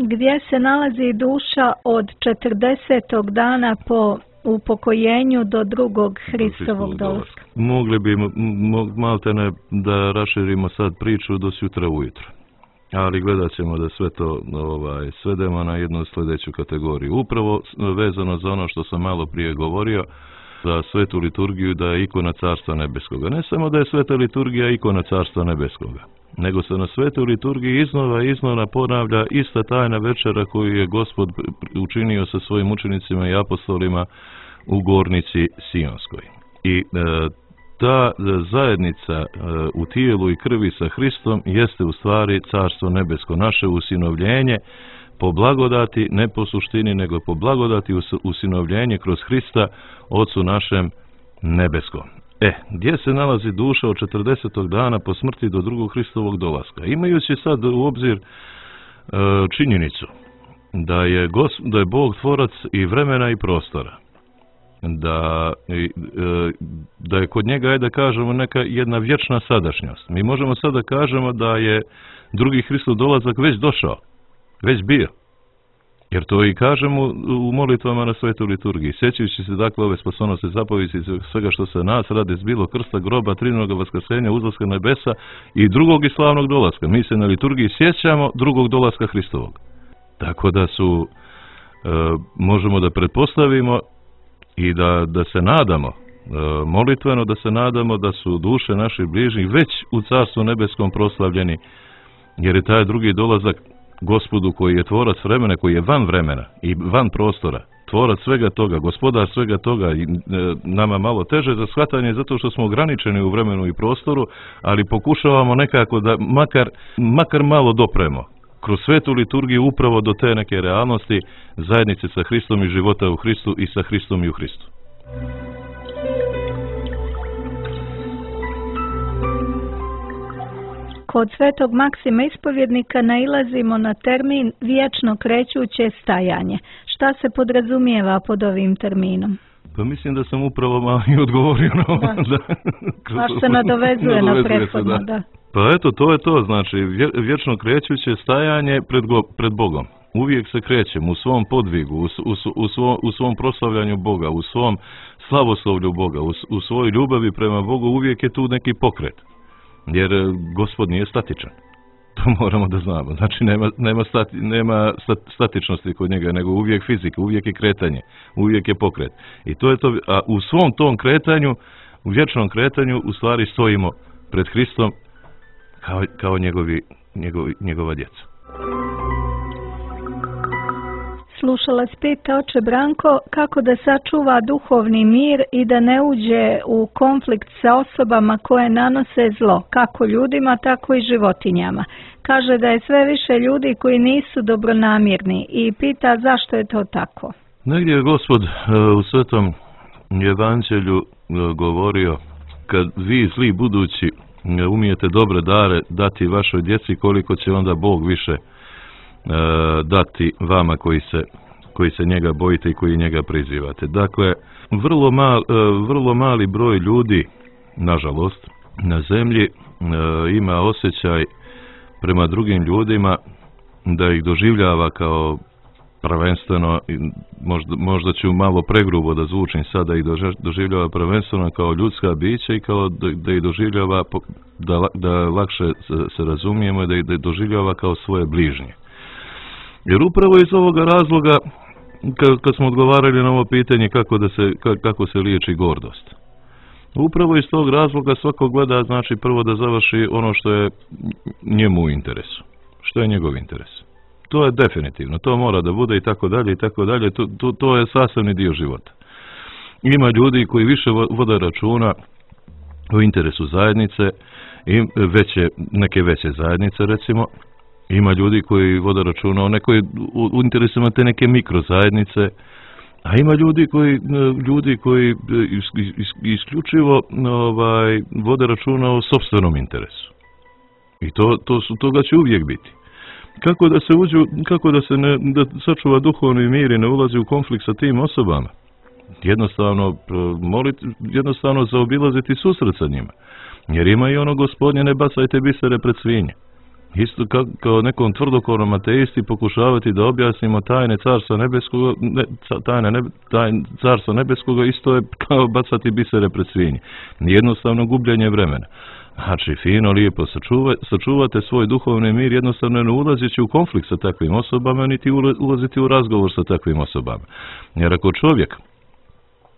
Gdje se nalazi duša od četrdesetog dana po upokojenju do drugog Hristovog dolaska? Mogli bi maltene da raširimo sad priču do sutra ujutro, ali gledat ćemo da sve to ovaj, svedemo na jednu sljedeću kategoriju. Upravo vezano za ono što sam malo prije govorio, za svetu liturgiju da je ikona Carstva nebeskoga. Ne samo da je sveta liturgija ikona Carstva nebeskoga, nego se na svetoj liturgiji iznova i iznova ponavlja ista tajna večera koju je Gospod učinio sa svojim učenicima i apostolima u gornici Sionskoj. I e, ta zajednica e, u tijelu i krvi sa Hristom jeste u stvari Carstvo nebesko, naše usinovljenje po blagodati, ne po suštini, nego po blagodati usinovljenje kroz Hrista, Otcu našem nebeskom. E, gdje se nalazi duša od četrdesetog dana po smrti do drugog Hristovog dolaska? Imajući sad u obzir e, činjenicu da je, gos, da je Bog tvorac i vremena i prostora, da, e, da je kod njega, da kažemo, neka jedna vječna sadašnjost. Mi možemo sada da kažemo da je drugi Hristov dolazak već došao, već bio. Jer to i kažemo u molitvama na svetoj liturgiji. Sjećajući se dakle ove spasonosne zapovjedi svega što se nas radi zbilo, krsta, groba, trinoga vaskrsenja, uzlaska nebesa i drugog i slavnog dolaska. Mi se na liturgiji sjećamo drugog dolaska Hristovog. Tako da su, e, možemo da pretpostavimo i da, da se nadamo, e, molitveno da se nadamo da su duše naših bližnjih već u Carstvu nebeskom proslavljeni, jer je taj drugi dolazak Gospodu koji je tvorac vremena, koji je van vremena i van prostora, tvorac svega toga, gospodar svega toga, i, e, nama malo teže za shvatanje zato što smo ograničeni u vremenu i prostoru, ali pokušavamo nekako da makar, makar malo dopremo kroz svetu liturgiju upravo do te neke realnosti zajednice sa Hristom i života u Hristu i sa Hristom i u Hristu. Kod svetog Maksima ispovjednika nailazimo na termin vječno krećuće stajanje. Šta se podrazumijeva pod ovim terminom? Pa mislim da sam upravo malo i odgovorio na ovo. Da. Baš se nadovezuje, nadovezuje na prethodno, da. Pa eto, to je to, znači vječno krećuće stajanje pred, go, pred Bogom. Uvijek se krećem u svom podvigu, u, u, u, svom, u svom proslavljanju Boga, u svom slavoslovlju Boga, u, u svojoj ljubavi prema Bogu, uvijek je tu neki pokret. Jer Gospod nije statičan. To moramo da znamo. Znači nema, nema, stati, nema statičnosti kod njega, nego uvijek fizika, uvijek je kretanje, uvijek je pokret. I to je to, a u svom tom kretanju, u vječnom kretanju, u stvari stojimo pred Hristom kao, kao njegovi, njegovi, njegova djeca. Slušalac pita, oče Branko, kako da sačuva duhovni mir i da ne uđe u konflikt sa osobama koje nanose zlo, kako ljudima, tako i životinjama. Kaže da je sve više ljudi koji nisu dobronamjerni i pita zašto je to tako. Negdje je Gospod u Svetom Evanđelju govorio, kad vi zli budući umijete dobre dare dati vašoj djeci, koliko će onda Bog više dati vama koji se, koji se njega bojite i koji njega prizivate. Dakle, vrlo, mal, vrlo mali broj ljudi, nažalost, na zemlji ima osjećaj prema drugim ljudima da ih doživljava kao prvenstveno, možda, možda ću malo pregrubo da zvučim sada, ih doživljava prvenstveno kao ljudska bića i kao da, da ih doživljava, da, da lakše se, se razumijemo, da ih doživljava kao svoje bližnje. Jer upravo iz ovoga razloga, kad, kad smo odgovarali na ovo pitanje kako, da se, kako se liječi gordost, upravo iz tog razloga svako gleda, znači prvo da završi ono što je njemu u interesu, što je njegov interes. To je definitivno, to mora da bude i tako dalje i tako dalje, to, to, to je sastavni dio života. Ima ljudi koji više vode računa o interesu zajednice, i veće, neke veće zajednice recimo. Ima ljudi koji vode računa o nekoj, u interesima te neke mikrozajednice, a ima ljudi koji, ljudi koji is, is, isključivo ovaj, vode računa o sopstvenom interesu. I to, to su, toga će uvijek biti. Kako da se uđu, kako da se ne, da sačuva duhovni mir i ne ulazi u konflikt sa tim osobama? Jednostavno, moliti, jednostavno zaobilaziti susret sa njima. Jer ima i ono Gospodnje, ne bacajte bisere pred svinje. Isto kao, kao nekom tvrdokornom ateisti pokušavati da objasnimo tajne carstva nebeskoga, ne, tajne, ne, tajne carstva nebeskoga, isto je kao bacati bisere pred svinje. Jednostavno gubljenje vremena. Znači, fino, lijepo sačuva, sačuvate svoj duhovni mir, jednostavno ne ulazeći u konflikt sa takvim osobama, niti ulaziti u razgovor sa takvim osobama. Jer ako čovjek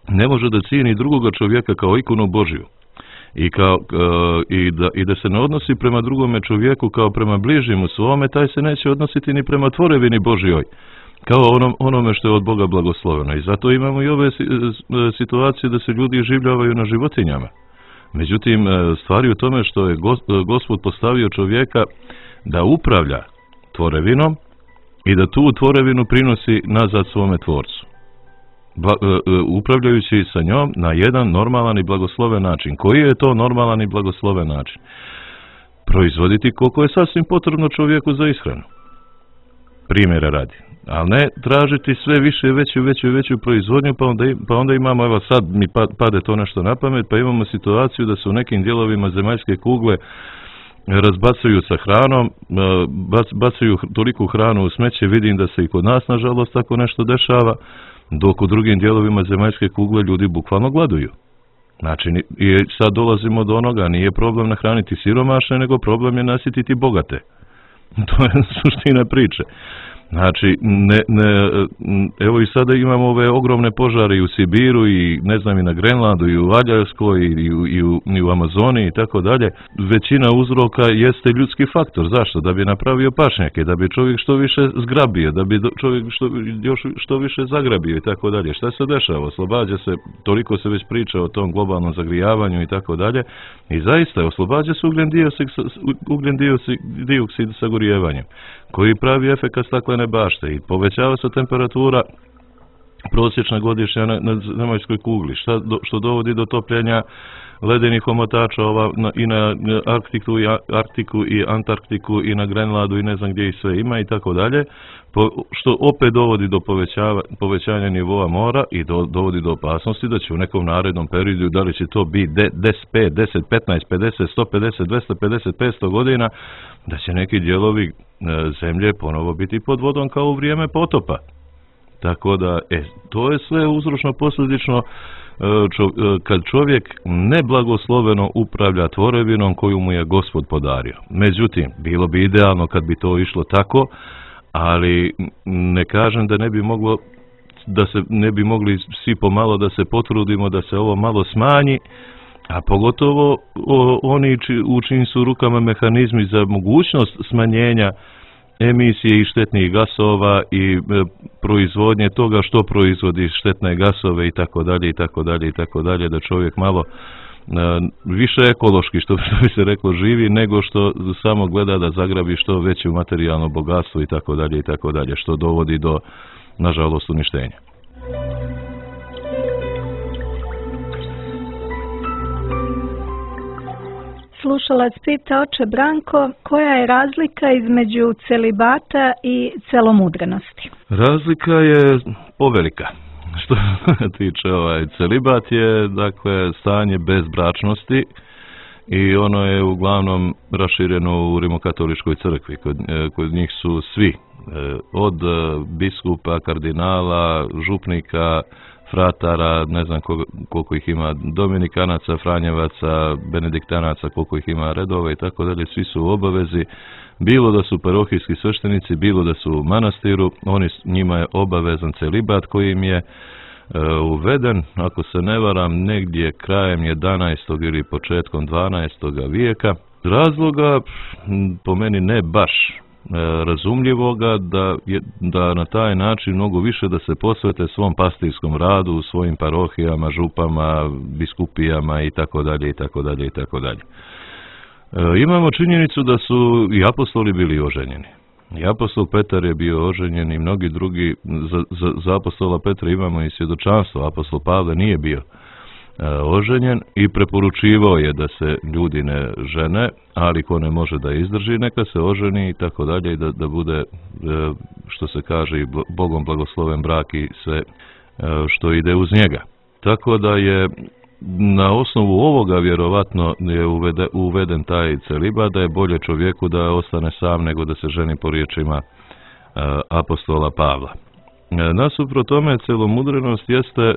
ne može da cijeni drugoga čovjeka kao ikonu Božju, I, kao, i, da, i da se ne odnosi prema drugome čovjeku kao prema bližnjemu svome, taj se neće odnositi ni prema tvorevini Božjoj, kao onom, onome što je od Boga blagosloveno. I zato imamo i ove situacije da se ljudi življavaju na životinjama. Međutim, stvari u tome što je Gospod postavio čovjeka da upravlja tvorevinom i da tu tvorevinu prinosi nazad svome tvorcu, upravljajući sa njom na jedan normalan i blagosloven način. Koji je to normalan i blagosloven način? Proizvoditi koliko je sasvim potrebno čovjeku za ishranu. Primjera radi. Ali ne tražiti sve više, veću, veću, veću proizvodnju, pa onda, pa onda imamo, evo sad mi pade to nešto na pamet, pa imamo situaciju da se u nekim dijelovima zemaljske kugle razbacuju sa hranom, bacaju toliku hranu u smeće, vidim da se i kod nas, nažalost, tako nešto dešava, dok u drugim dijelovima zemaljske kugle ljudi bukvalno gladuju. Znači, i sad dolazimo do onoga, nije problem nahraniti siromašne, nego problem je nasititi bogate. To je suština priče. Znači, ne, ne, evo i sada imamo ove ogromne požare i u Sibiru i ne znam i na Grenlandu i u Aljaskoj i u, i u, i u Amazoni i tako dalje. Većina uzroka jeste ljudski faktor. Zašto? Da bi napravio pašnjake, da bi čovjek što više zgrabio, da bi čovjek što, još što više zagrabio i tako dalje. Šta se dešava? Oslobađa se, toliko se već priča o tom globalnom zagrijavanju i tako dalje. I zaista oslobađa se ugljen dioksid, ugljen dioksid sa gorijevanjem, koji pravi efekat staklene bašte i povećava se temperatura prosječna godišnja na, na zemaljskoj kugli, šta do, što dovodi do topljenja ledenih omotača ova, na, i na Arktiku i, Arktiku i Antarktiku i na Grenlandu i ne znam gdje ih sve ima i tako dalje, po, što opet dovodi do povećava, povećanja nivoa mora i do, dovodi do opasnosti da će u nekom narednom periodu, da li će to biti deset, pet, deset, petnaest, pedeset, sto pedeset, dvesta pedeset, petsto godina, da će neki dijelovi e, zemlje ponovo biti pod vodom kao u vrijeme potopa. Tako da, e, to je sve uzročno posljedično čo, kad čovjek neblagosloveno upravlja tvorevinom koju mu je Gospod podario. Međutim, bilo bi idealno kad bi to išlo tako, ali ne kažem da ne bi moglo, da se ne bi mogli svi pomalo da se potrudimo da se ovo malo smanji, a pogotovo o, oni či, u čijim su rukama mehanizmi za mogućnost smanjenja emisije i štetnih gasova i e, proizvodnje toga što proizvodi štetne gasove i tako dalje i tako dalje i tako dalje, da čovjek malo e, više ekološki, što bi se reklo, živi nego što samo gleda da zagrabi što veće materijalno bogatstvo i tako dalje i tako dalje, što dovodi do, nažalost, uništenja. Slušalac pita, oče Branko, koja je razlika između celibata i celomudrenosti? Razlika je povelika. Što tiče ovaj celibat je, dakle, stanje bezbračnosti i ono je uglavnom rašireno u Rimokatoličkoj crkvi. Kod, kod njih su svi, od biskupa, kardinala, župnika, fratara, ne znam koliko ih ima, dominikanaca, franjevaca, benediktanaca, koliko ih ima redova i tako dalje, svi su u obavezi, bilo da su parohijski sveštenici, bilo da su u manastiru, oni, njima je obavezan celibat koji im je uh, uveden, ako se ne varam, negdje krajem jedanaestog ili početkom dvanaestog vijeka. Razloga, po meni ne baš razumljivoga, da, je, da na taj način mnogo više da se posvete svom pastirskom radu u svojim parohijama, župama, biskupijama i tako dalje i tako dalje i tako dalje. Imamo činjenicu da su i apostoli bili oženjeni. I apostol Petar je bio oženjen i mnogi drugi, za, za, za apostola Petra imamo i svjedočanstvo, apostol Pavle nije bio oženjen i preporučivao je da se ljudi ne žene, ali ko ne može da izdrži, neka se oženi i tako dalje i da, da bude, što se kaže, i Bogom blagosloven brak i sve što ide uz njega. Tako da je na osnovu ovoga vjerovatno je uvede, uveden taj celibat, da je bolje čovjeku da ostane sam nego da se ženi po riječima apostola Pavla. Nasuprot tome, celomudrenost jeste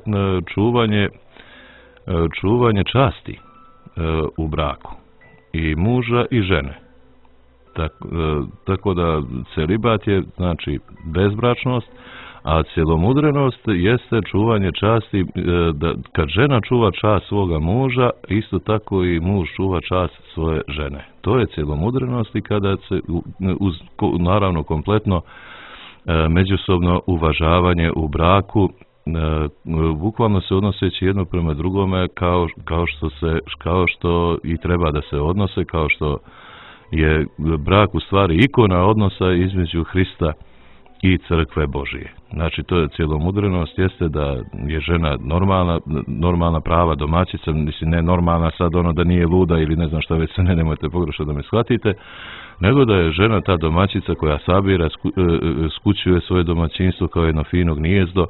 čuvanje čuvanje časti e, u braku i muža i žene. Tak, e, tako da celibat je, znači, bezbračnost, a celomudrenost jeste čuvanje časti, e, da kad žena čuva čast svoga muža, isto tako i muž čuva čast svoje žene. To je celomudrenost i kada se, uz, naravno, kompletno e, međusobno uvažavanje u braku, bukvalno se odnoseći jedno prema drugome kao, kao, što se, kao što i treba da se odnose, kao što je brak u stvari ikona odnosa između Hrista i crkve Božije. Znači, to je celomudrenost, jeste da je žena normalna, normalna prava domaćica, mislim, ne normalna sad ono da nije luda ili ne znam šta već se, ne, nemojte pogrešno da me shvatite, nego da je žena ta domaćica koja sabira, sku, skućuje svoje domaćinstvo kao jedno fino gnijezdo,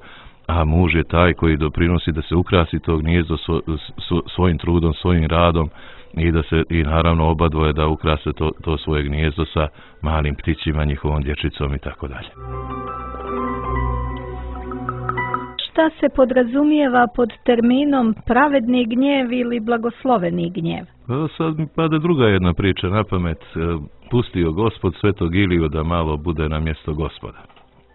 a muž je taj koji doprinosi da se ukrasi to gnijezdo svo, svo, svojim trudom, svojim radom i da se, i naravno oba dvoje da ukrase to, to svoje gnijezdo sa malim ptićima, njihovom dječicom i tako dalje. Šta se podrazumijeva pod terminom pravedni gnjev ili blagosloveni gnjev? Pa sad mi pada druga jedna priča na pamet. Pustio Gospod svetog Iliju da malo bude na mjesto Gospoda.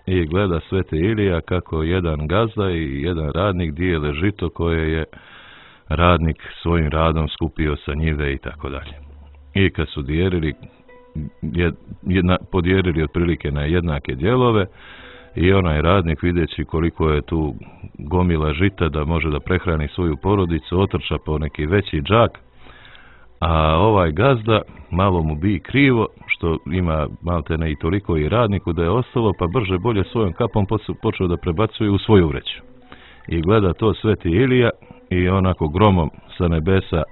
i gleda sveti Ilija kako jedan gazda i jedan radnik dijele žito koje je radnik svojim radom skupio sa njive i tako dalje. I kad su dijelili, jedna, podijelili otprilike na jednake dijelove, i onaj radnik videći koliko je tu gomila žita da može da prehrani svoju porodicu, otrča po neki veći džak, a ovaj gazda malo mu bi krivo što ima malte ne i toliko i radniku da je ostalo, pa brže bolje svojom kapom počeo da prebacuje u svoju vreću. I gleda to sveti Ilija i onako gromom sa nebesa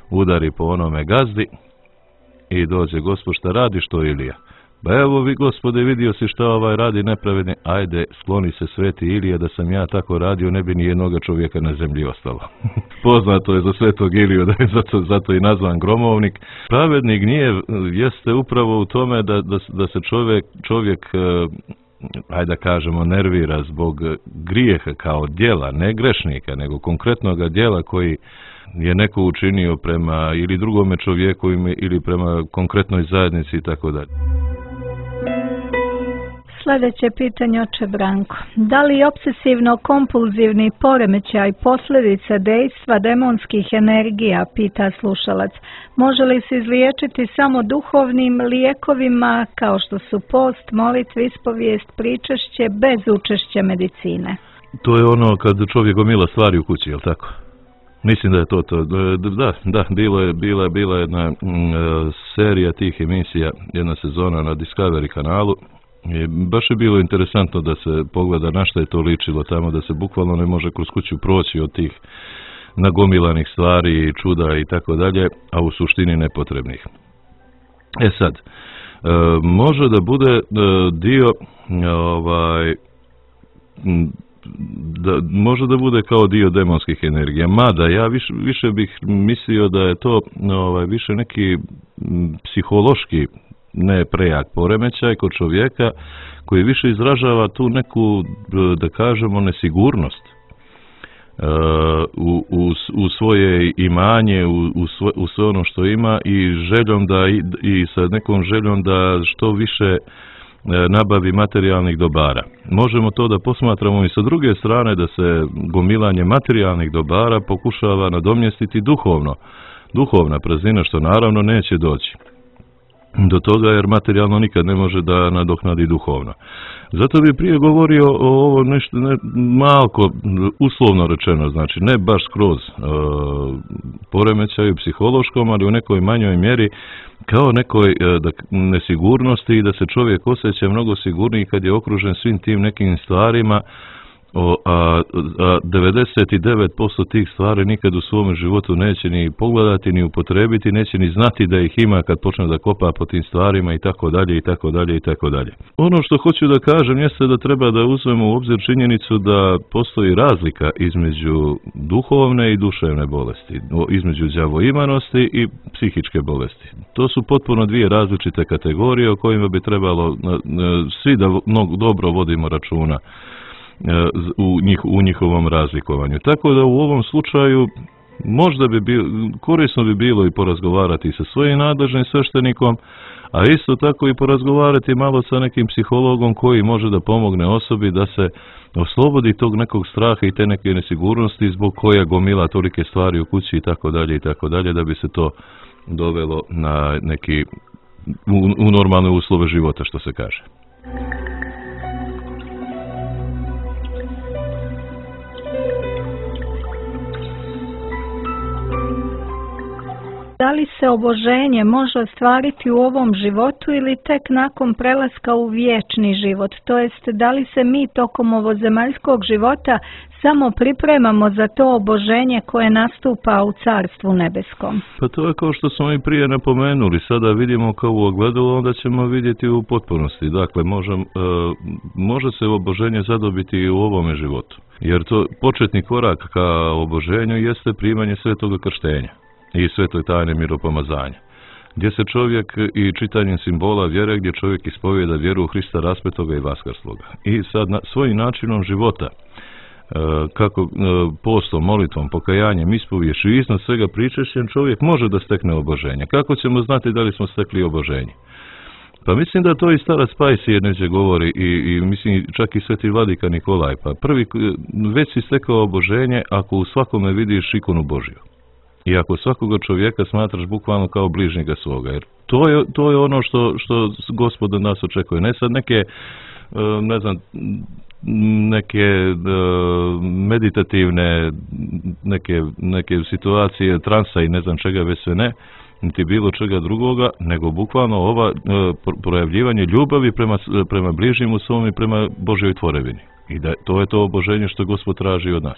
udari po onome gazdi i dođe: Gospod, šta radiš to, Ilija? Ba evo vi, Gospode, vidio si šta ovaj radi nepravedni, ajde skloni se sveti Ilija, da sam ja tako radio ne bi ni jednoga čovjeka na zemlji ostalo. Poznato je za svetog Iliju da je zato, zato i nazvan gromovnik. Pravedni gnjev jeste upravo u tome da, da, da se čovjek, čovjek ajde da kažemo, nervira zbog grijeha kao djela, ne grešnika, nego konkretnog djela koji je neko učinio prema ili drugome čovjeku ili prema konkretnoj zajednici i tako dalje. Sljedeće pitanje, oče Branko. Da li obsesivno-kompulzivni poremećaj posljedica dejstva demonskih energija, pita slušalac, može li se izliječiti samo duhovnim lijekovima kao što su post, molitva, ispovijest, pričešće bez učešća medicine? To je ono kad čovjek gomila stvari u kući, jel tako? Mislim da je to to. Da, da, bilo je, bila, bila jedna mm, serija tih emisija, jedna sezona na Discovery kanalu. I baš je bilo interesantno da se pogleda na šta je to ličilo tamo, da se bukvalno ne može kroz kuću proći od tih nagomilanih stvari, čuda i tako dalje, a u suštini nepotrebnih. E sad, e, može da bude e, dio ovaj da može da bude kao dio demonskih energija, mada ja više, više bih mislio da je to ovaj više neki psihološki ne prejak poremećaj kod čovjeka koji više izražava tu neku, da kažemo, nesigurnost u, u, u svoje imanje, u, u, sve, u sve ono što ima i željom da i, i sa nekom željom da što više nabavi materijalnih dobara. Možemo to da posmatramo i sa druge strane, da se gomilanje materijalnih dobara pokušava nadomjestiti duhovno, duhovna praznina, što naravno neće doći do toga jer materijalno nikad ne može da nadoknadi duhovno. Zato bi prije govorio o ovo nešto ne, malko uslovno rečeno, znači ne baš skroz e, poremećaju psihološkom, ali u nekoj manjoj mjeri kao nekoj e, da, nesigurnosti i da se čovjek osjeća mnogo sigurniji kad je okružen svim tim nekim stvarima, o, a, a devedeset devet posto tih stvari nikad u svom životu neće ni pogledati, ni upotrebiti, neće ni znati da ih ima kad počne da kopa po tim stvarima i tako dalje i tako dalje i tako dalje. Ono što hoću da kažem jeste da treba da uzmemo u obzir činjenicu da postoji razlika između duhovne i duševne bolesti, između đavoimanosti i psihičke bolesti. To su potpuno dvije različite kategorije o kojima bi trebalo svi da mnogo dobro vodimo računa u, njih, u njihovom razlikovanju. Tako da u ovom slučaju možda bi bilo, korisno bi bilo i porazgovarati sa svojim nadležnim sveštenikom, a isto tako i porazgovarati malo sa nekim psihologom koji može da pomogne osobi da se oslobodi tog nekog straha i te neke nesigurnosti zbog koja gomila tolike stvari u kući i tako dalje i tako dalje, da bi se to dovelo na neki u, u normalne uslove života, što se kaže. Da li se oboženje može ostvariti u ovom životu ili tek nakon prelaska u vječni život? To jest, da li se mi tokom ovozemaljskog života samo pripremamo za to oboženje koje nastupa u Carstvu nebeskom? Pa to je kao što smo i prije napomenuli. Sada vidimo kao u ogledalu, onda ćemo vidjeti u potpunosti. Dakle, može, e, može se oboženje zadobiti i u ovome životu. Jer to početni korak ka oboženju jeste primanje svetoga krštenja i svetoj tajne miropomazanja, gdje se čovjek i čitanjem simbola vjere, gdje čovjek ispovijeda vjeru u Hrista raspetoga i vaskrsloga. I sad na, svojim načinom života, kako postom, molitvom, pokajanjem, ispoviješću i iznad svega pričešćem, čovjek može da stekne oboženje. Kako ćemo znati da li smo stekli oboženje? Pa mislim da to i starac Pajsije neđe govori i, i mislim čak i sveti vladika Nikolaj. Pa prvi, već si stekao oboženje ako u svakome vidiš ikonu Božju. I ako svakoga čovjeka smatraš bukvalno kao bližnjega svoga. Jer to je, to je ono što, što Gospod od nas očekuje. Ne sad neke, ne znam, neke meditativne neke, neke situacije, transa i ne znam čega već sve ne, niti bilo čega drugoga, nego bukvalno ova projavljivanje ljubavi prema, prema bližnjemu svom i prema Božjoj tvorevini. I da to je to oboženje što Gospod traži od nas.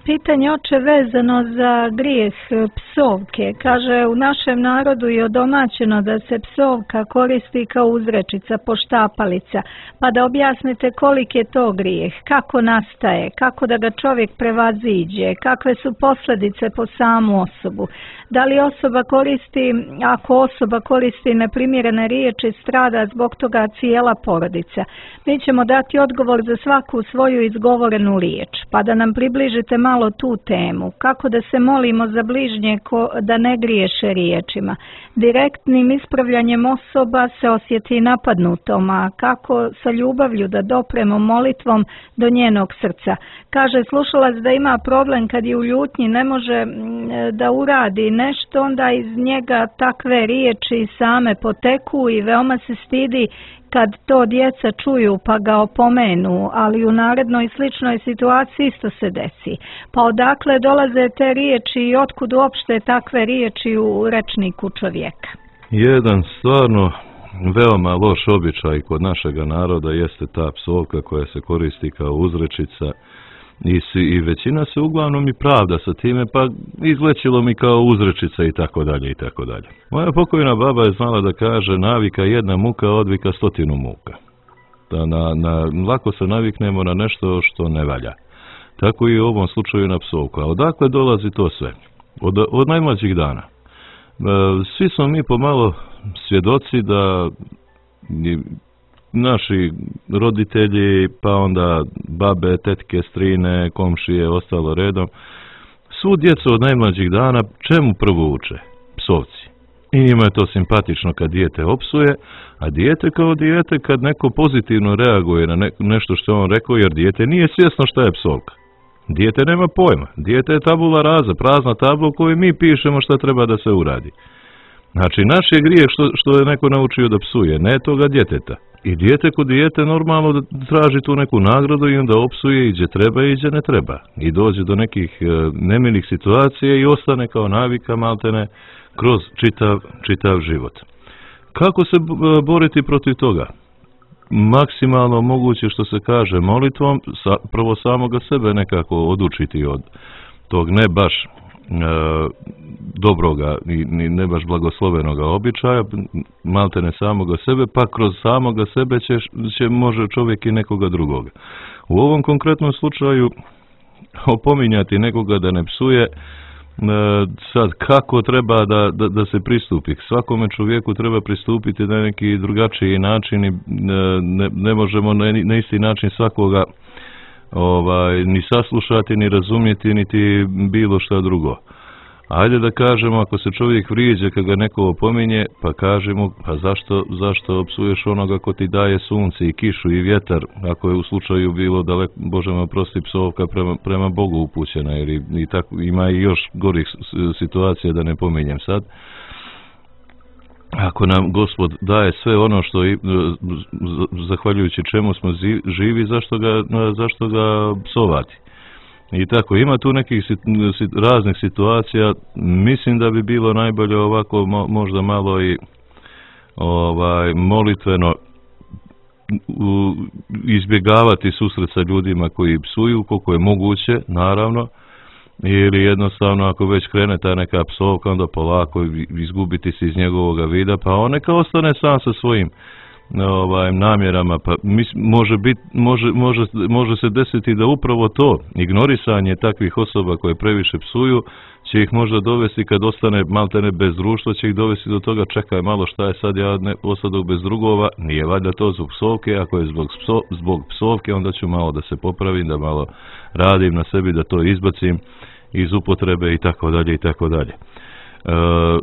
Pitanje oče vezano za grijeh psovke. Kaže, u našem narodu je odomaćeno da se psovka koristi kao uzrečica, poštapalica. Pa da objasnite koliki je to grijeh, kako nastaje, kako da ga čovjek prevaziđe, kakve su posljedice po samu osobu. Da li osoba koristi, ako osoba koristi neprimjerene riječi, strada zbog toga cijela porodica. Mi ćemo dati odgovor za svaku svoju izgovorenu riječ, pa da nam približite malo tu temu. Kako da se molimo za bližnje ko, da ne griješe riječima. Direktnim ispravljanjem osoba se osjeti napadnutom, a kako sa ljubavlju da dopremo molitvom do njenog srca. Kaže slušalac da ima problem kad je u ljutnji, ne može da uradi nešto, onda iz njega takve riječi same poteku i veoma se stidi kad to djeca čuju pa ga opomenu, ali u narednoj sličnoj situaciji isto se desi. Pa odakle dolaze te riječi i otkud uopšte takve riječi u rečniku čovjeka? Jedan stvarno veoma loš običaj kod našega naroda jeste ta psovka koja se koristi kao uzrečica i, si, i većina se uglavnom i pravda sa time, pa izlećilo mi kao uzrečica i tako dalje i tako dalje. Moja pokojna baba je znala da kaže navika jedna muka odvika stotinu muka. Da na, na, lako se naviknemo na nešto što ne valja. Tako i u ovom slučaju na psovku. A odakle dolazi to sve? Od, od najmlađih dana. Svi smo mi pomalo svjedoci da naši roditelji, pa onda babe, tetke, strine, komšije, ostalo redom, svu djecu od najmlađih dana čemu prvo uče? Psovci. I njima je to simpatično kad dijete opsuje, a dijete kao dijete kad neko pozitivno reaguje na ne, nešto što on rekao, jer dijete nije svjesno šta je psovka. Dijete nema pojma. Dijete je tabula rasa, prazna tabla u kojoj mi pišemo šta treba da se uradi. Znači, naš je grijeh što, što je neko naučio da psuje, ne toga djeteta. I dijete kod dijete normalno da traži tu neku nagradu i onda opsuje i gdje treba i gdje ne treba. I dođe do nekih e, nemilih situacija i ostane kao navika maltene kroz čitav, čitav život. Kako se boriti protiv toga? Maksimalno moguće što se kaže molitvom, sa, prvo samoga sebe nekako odučiti od tog ne baš e, dobroga i ne baš blagoslovenoga običaja, maltene samoga sebe, pa kroz samoga sebe će, će može čovjek i nekoga drugoga. U ovom konkretnom slučaju opominjati nekoga da ne psuje, sad kako treba da, da, da se pristupi. Svakome čovjeku treba pristupiti na neki drugačiji način i ne, ne možemo na, na isti način svakoga ovaj, ni saslušati, ni razumjeti, niti bilo šta drugo. Ajde da kažemo, ako se čovjek vrijeđa kad ga neko opominje, pa kažemo, pa zašto, zašto psuješ onoga ko ti daje sunce i kišu i vjetar, ako je u slučaju bilo daleko, Bože me oprosti, psovka prema, prema Bogu upućena, jer i, i tako, ima i još gorih situacija da ne pominjem sad. Ako nam Gospod daje sve ono što i, zahvaljujući čemu smo živi, zašto ga, zašto ga psovati? I tako, ima tu nekih sit, sit, raznih situacija, mislim da bi bilo najbolje ovako mo, možda malo i ovaj, molitveno u, izbjegavati susret sa ljudima koji psuju, koliko je moguće, naravno, ili jednostavno ako već krene ta neka psovka, onda polako izgubiti se iz njegovog vida, pa on neka ostane sam sa svojim ovaj, namjerama, pa mis, može, bit, može, može, može se desiti da upravo to, ignorisanje takvih osoba koje previše psuju, će ih možda dovesti kad ostane maltene bez društva, će ih dovesti do toga, čekaj malo šta je sad, ja ne ostadu bez drugova, nije valjda to zbog psovke, ako je zbog, pso, zbog psovke, onda ću malo da se popravim, da malo radim na sebi, da to izbacim iz upotrebe i tako dalje i tako dalje.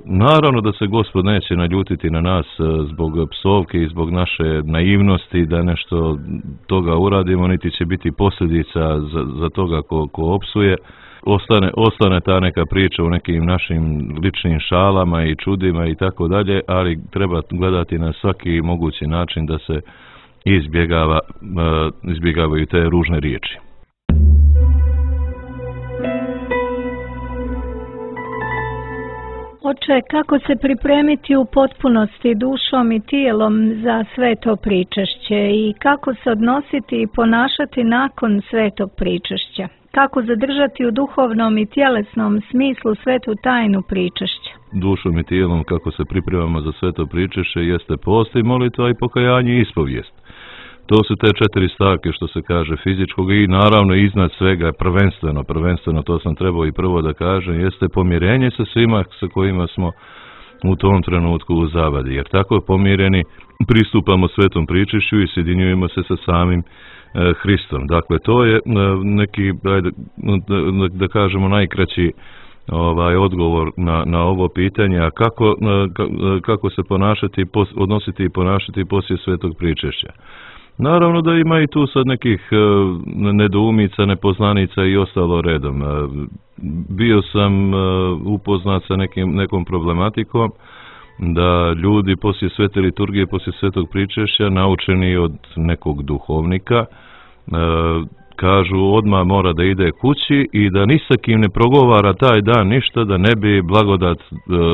naravno da se Gospod neće naljutiti na nas zbog psovke i zbog naše naivnosti da nešto toga uradimo, niti će biti posljedica za, za toga ko, ko opsuje. Ostane, ostane ta neka priča u nekim našim ličnim šalama i čudima i tako dalje, ali treba gledati na svaki mogući način da se izbjegava, izbjegavaju te ružne riječi. Oče, kako se pripremiti u potpunosti dušom i tijelom za sveto pričešće i kako se odnositi i ponašati nakon svetog pričešća? Kako zadržati u duhovnom i tjelesnom smislu svetu tajnu pričešća? Dušom i tijelom kako se pripremamo za sveto pričešće jeste post i molitva i pokajanje i ispovijest. To su te četiri stavke što se kaže fizičkog i naravno iznad svega prvenstveno, prvenstveno to sam trebao i prvo da kažem, jeste pomirenje sa svima sa kojima smo u tom trenutku u zavadi. Jer tako pomireni pristupamo svetom pričešću i sjedinjujemo se sa samim e, Hristom. Dakle, to je e, neki, ajde, da, da kažemo, najkraći ovaj odgovor na, na ovo pitanje, a kako, e, kako se ponašati, pos, odnositi i ponašati poslije svetog pričešća. Naravno da ima i tu sad nekih e, nedoumica, nepoznanica i ostalo redom. E, bio sam e, upoznat sa nekim, nekom problematikom da ljudi poslije svete liturgije, poslije svetog pričešća, naučeni od nekog duhovnika, e, kažu odmah mora da ide kući i da ni sa kim ne progovara taj dan ništa, da ne bi blagodat e,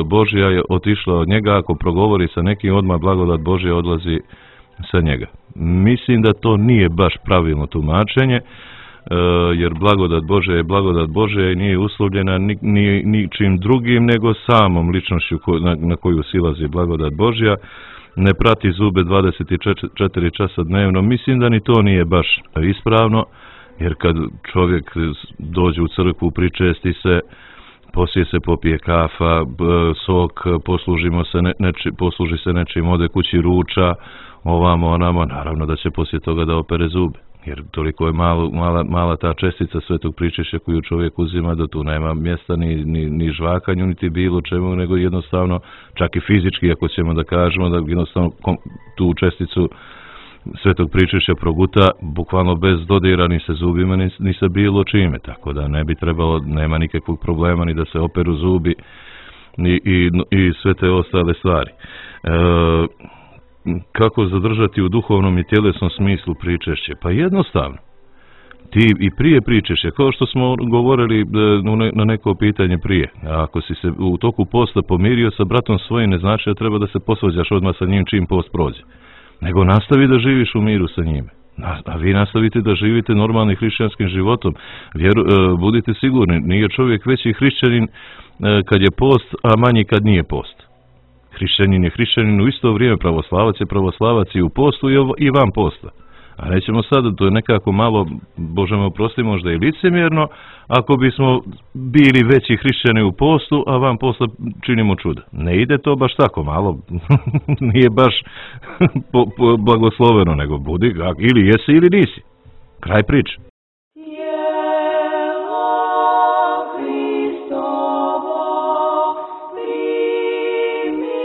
Božja otišla od njega. Ako progovori sa nekim, odmah blagodat Božja odlazi sa njega. Mislim da to nije baš pravilno tumačenje, jer blagodat Božja je blagodat Božja i nije uslovljena ni, ni, ničim drugim nego samom ličnošću na, na koju silazi blagodat Božja. Ne prati zube dvadeset četiri časa dnevno. Mislim da ni to nije baš ispravno, jer kad čovjek dođe u crkvu, pričesti se, poslije se popije kafa, sok, poslužimo se ne, neči, posluži se nečim, ode kući, ruča, ovamo, onamo, naravno da će poslije toga da opere zube. Jer toliko je malo, mala, mala ta čestica svetog pričešća koju čovjek uzima da tu nema mjesta ni, ni, ni žvakanju, niti bilo čemu, nego jednostavno, čak i fizički, ako ćemo da kažemo, da jednostavno tu česticu svetog pričešća proguta bukvalno bez dodira ni sa zubima, ni, ni sa bilo čime. Tako da ne bi trebalo, nema nikakvog problema ni da se operu zubi i, i, i sve te ostale stvari. E, kako zadržati u duhovnom i tjelesnom smislu pričešće? Pa jednostavno. Ti i prije pričešća, kao što smo govorili na neko pitanje prije, ako si se u toku posta pomirio sa bratom svojim, ne znači da treba da se posvađaš odmah sa njim čim post prođe. Nego nastavi da živiš u miru sa njime. A vi nastavite da živite normalnim hrišćanskim životom. Vjeru, budite sigurni, nije čovjek veći hrišćanin kad je post, a manji kad nije post. Hrišćanin je hrišćanin u isto vrijeme, pravoslavac je pravoslavac i u postu i van posta. A nećemo sada, to je nekako malo, Bože me oprosti, možda i licemjerno, ako bismo bili veći hrišćani u postu, a van posta činimo čuda. Ne ide to baš tako, malo nije baš po, po, blagosloveno, nego budi, ili jesi ili nisi. Kraj priče. Hristovo, primi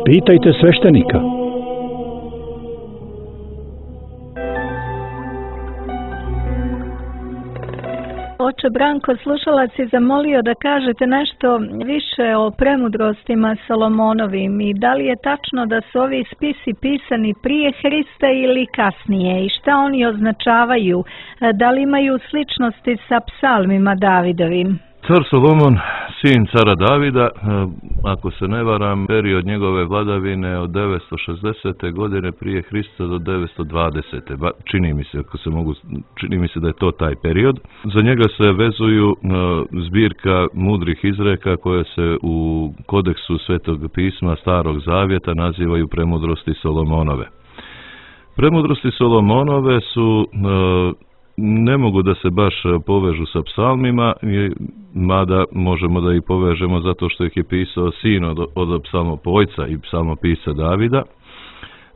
Pitajte sveštenika. Oče Branko, slušalac je zamolio da kažete nešto više o premudrostima Solomonovim i da li je tačno da su ovi spisi pisani prije Hrista ili kasnije i šta oni označavaju, da li imaju sličnosti sa psalmima Davidovim? Car Solomon, sin cara Davida, ako se ne varam, period njegove vladavine od devetsto šezdesete godine prije Hrista do devetsto dvadesete Čini mi se, ako se mogu, čini mi se da je to taj period. Za njega se vezuju zbirka mudrih izreka koje se u kodeksu Svetog pisma Starog Zavjeta nazivaju premudrosti Solomonove. Premudrosti Solomonove su ne mogu da se baš povežu sa psalmima, mada možemo da ih povežemo zato što ih je pisao sin od, od psalmopojca i psalmopisa Davida,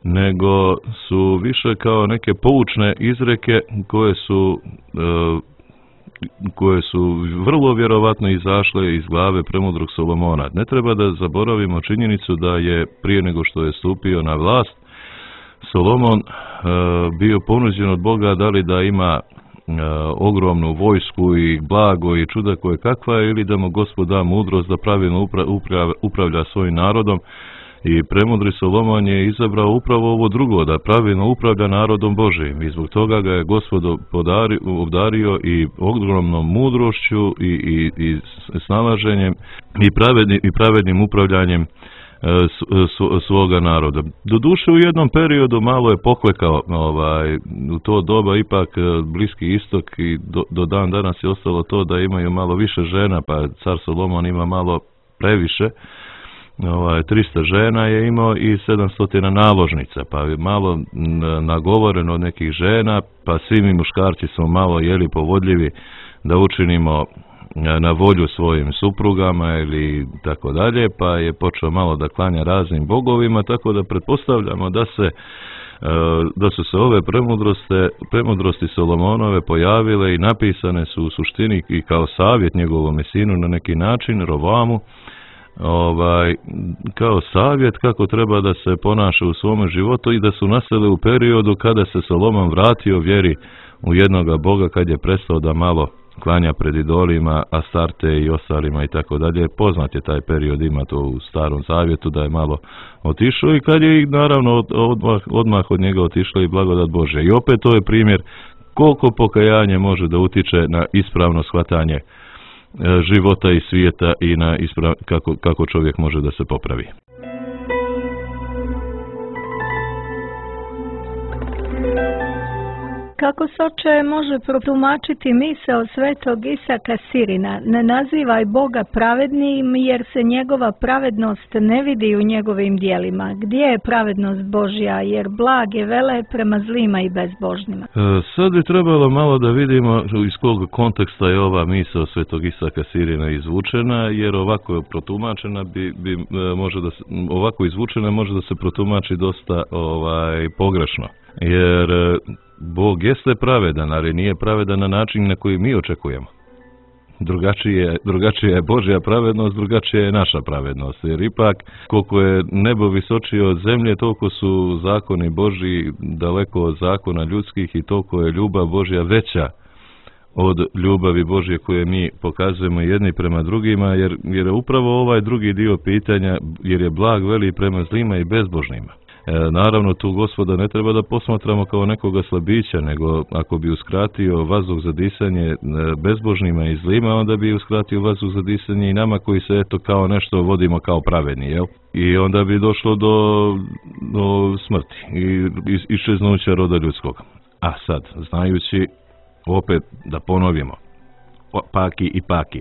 nego su više kao neke poučne izreke koje su koje su vrlo vjerovatno izašle iz glave premudrog Solomona. Ne treba da zaboravimo činjenicu da je prije nego što je stupio na vlast Solomon e, bio ponuđen od Boga da li da ima e, ogromnu vojsku i blago i čuda koje kakva ili da mu Gospod da mudrost da pravilno upra, upra, upravlja svojim narodom i premudri Solomon je izabrao upravo ovo drugo, da pravilno upravlja narodom Božijim i zbog toga ga je Gospod podari, obdario i ogromnom mudrošću i, i, i snalaženjem i pravednim, i pravednim upravljanjem svoga naroda. Doduše u jednom periodu malo je poklekao ovaj, u to doba ipak Bliski istok i do, do dan danas je ostalo to da imaju malo više žena, pa car Solomon ima malo previše, ovaj, trista žena je imao i sedamsto naložnica, pa je malo nagovoreno od nekih žena, pa svi mi muškarci smo malo jeli povodljivi da učinimo na volju svojim suprugama ili tako dalje, pa je počeo malo da klanja raznim bogovima, tako da pretpostavljamo da se da su se ove premudrosti, premudrosti Solomonove pojavile i napisane su u suštini i kao savjet njegovom sinu na neki način, Rovamu, ovaj, kao savjet kako treba da se ponaša u svome životu i da su nastale u periodu kada se Solomon vratio vjeri u jednoga Boga, kad je prestao da malo klanja pred idolima, Astarte i ostalima i tako dalje. Poznat je taj period, ima to u Starom Zavjetu da je malo otišao i kad je naravno odmah, odmah od njega otišla i blagodat Božja. I opet to je primjer koliko pokajanje može da utiče na ispravno shvatanje života i svijeta i na isprav, kako, kako čovjek može da se popravi. Kako se, oče, može protumačiti misao svetog Isaka Sirina? Ne nazivaj Boga pravednim jer se njegova pravednost ne vidi u njegovim dijelima. Gdje je pravednost Božja jer blag je vele prema zlima i bezbožnima? E, sad bi trebalo malo da vidimo iz kog konteksta je ova misao svetog Isaka Sirina izvučena, jer ovako je protumačena bi, bi može da se, ovako izvučena može da se protumači dosta ovaj pogrešno. Jer Bog jeste pravedan, ali nije pravedan na način na koji mi očekujemo. Drugačije, drugačija je Božja pravednost, drugačija je naša pravednost. Jer ipak, koliko je nebo visočije od zemlje, toliko su zakoni Božji daleko od zakona ljudskih i toliko je ljubav Božja veća od ljubavi Božje koje mi pokazujemo jedni prema drugima, jer, jer je upravo ovaj drugi dio pitanja, jer je blag veli prema zlima i bezbožnima. E, naravno, tu Gospoda ne treba da posmatramo kao nekoga slabića, nego ako bi uskratio vazduh za disanje bezbožnima i zlima, onda bi uskratio vazduh za disanje i nama koji se eto kao nešto vodimo kao pravedni, jel? I onda bi došlo do, do smrti i iščeznuća roda ljudskog. A sad, znajući, opet da ponovimo, paki i paki,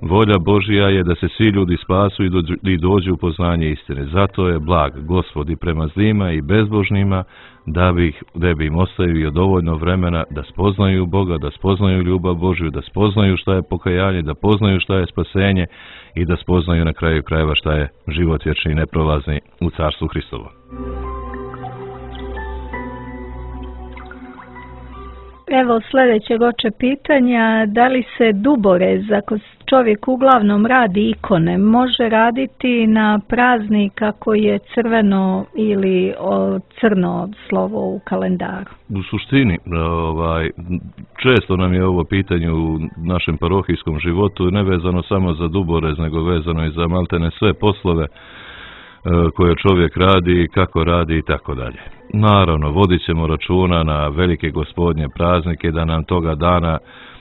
volja Božja je da se svi ljudi spasu i, dođu, i dođu u poznanje istine. Zato je blag Gospod i prema zlima i bezbožnima, da bi, da bi im ostavio dovoljno vremena da spoznaju Boga, da spoznaju ljubav Božju, da spoznaju šta je pokajanje, da poznaju šta je spasenje i da spoznaju na kraju krajeva šta je život vječni i neprolazni u Carstvu Hristovom. Evo sljedećeg oče pitanja, da li se duborez, ako čovjek uglavnom radi ikone, može raditi na praznik ako je crveno ili o, crno slovo u kalendaru? U suštini, ovaj, često nam je ovo pitanje u našem parohijskom životu ne vezano samo za duborez, nego vezano i za maltene sve poslove koje čovjek radi, kako radi i tako dalje. Naravno, vodit ćemo računa na velike gospodnje praznike, da nam toga dana,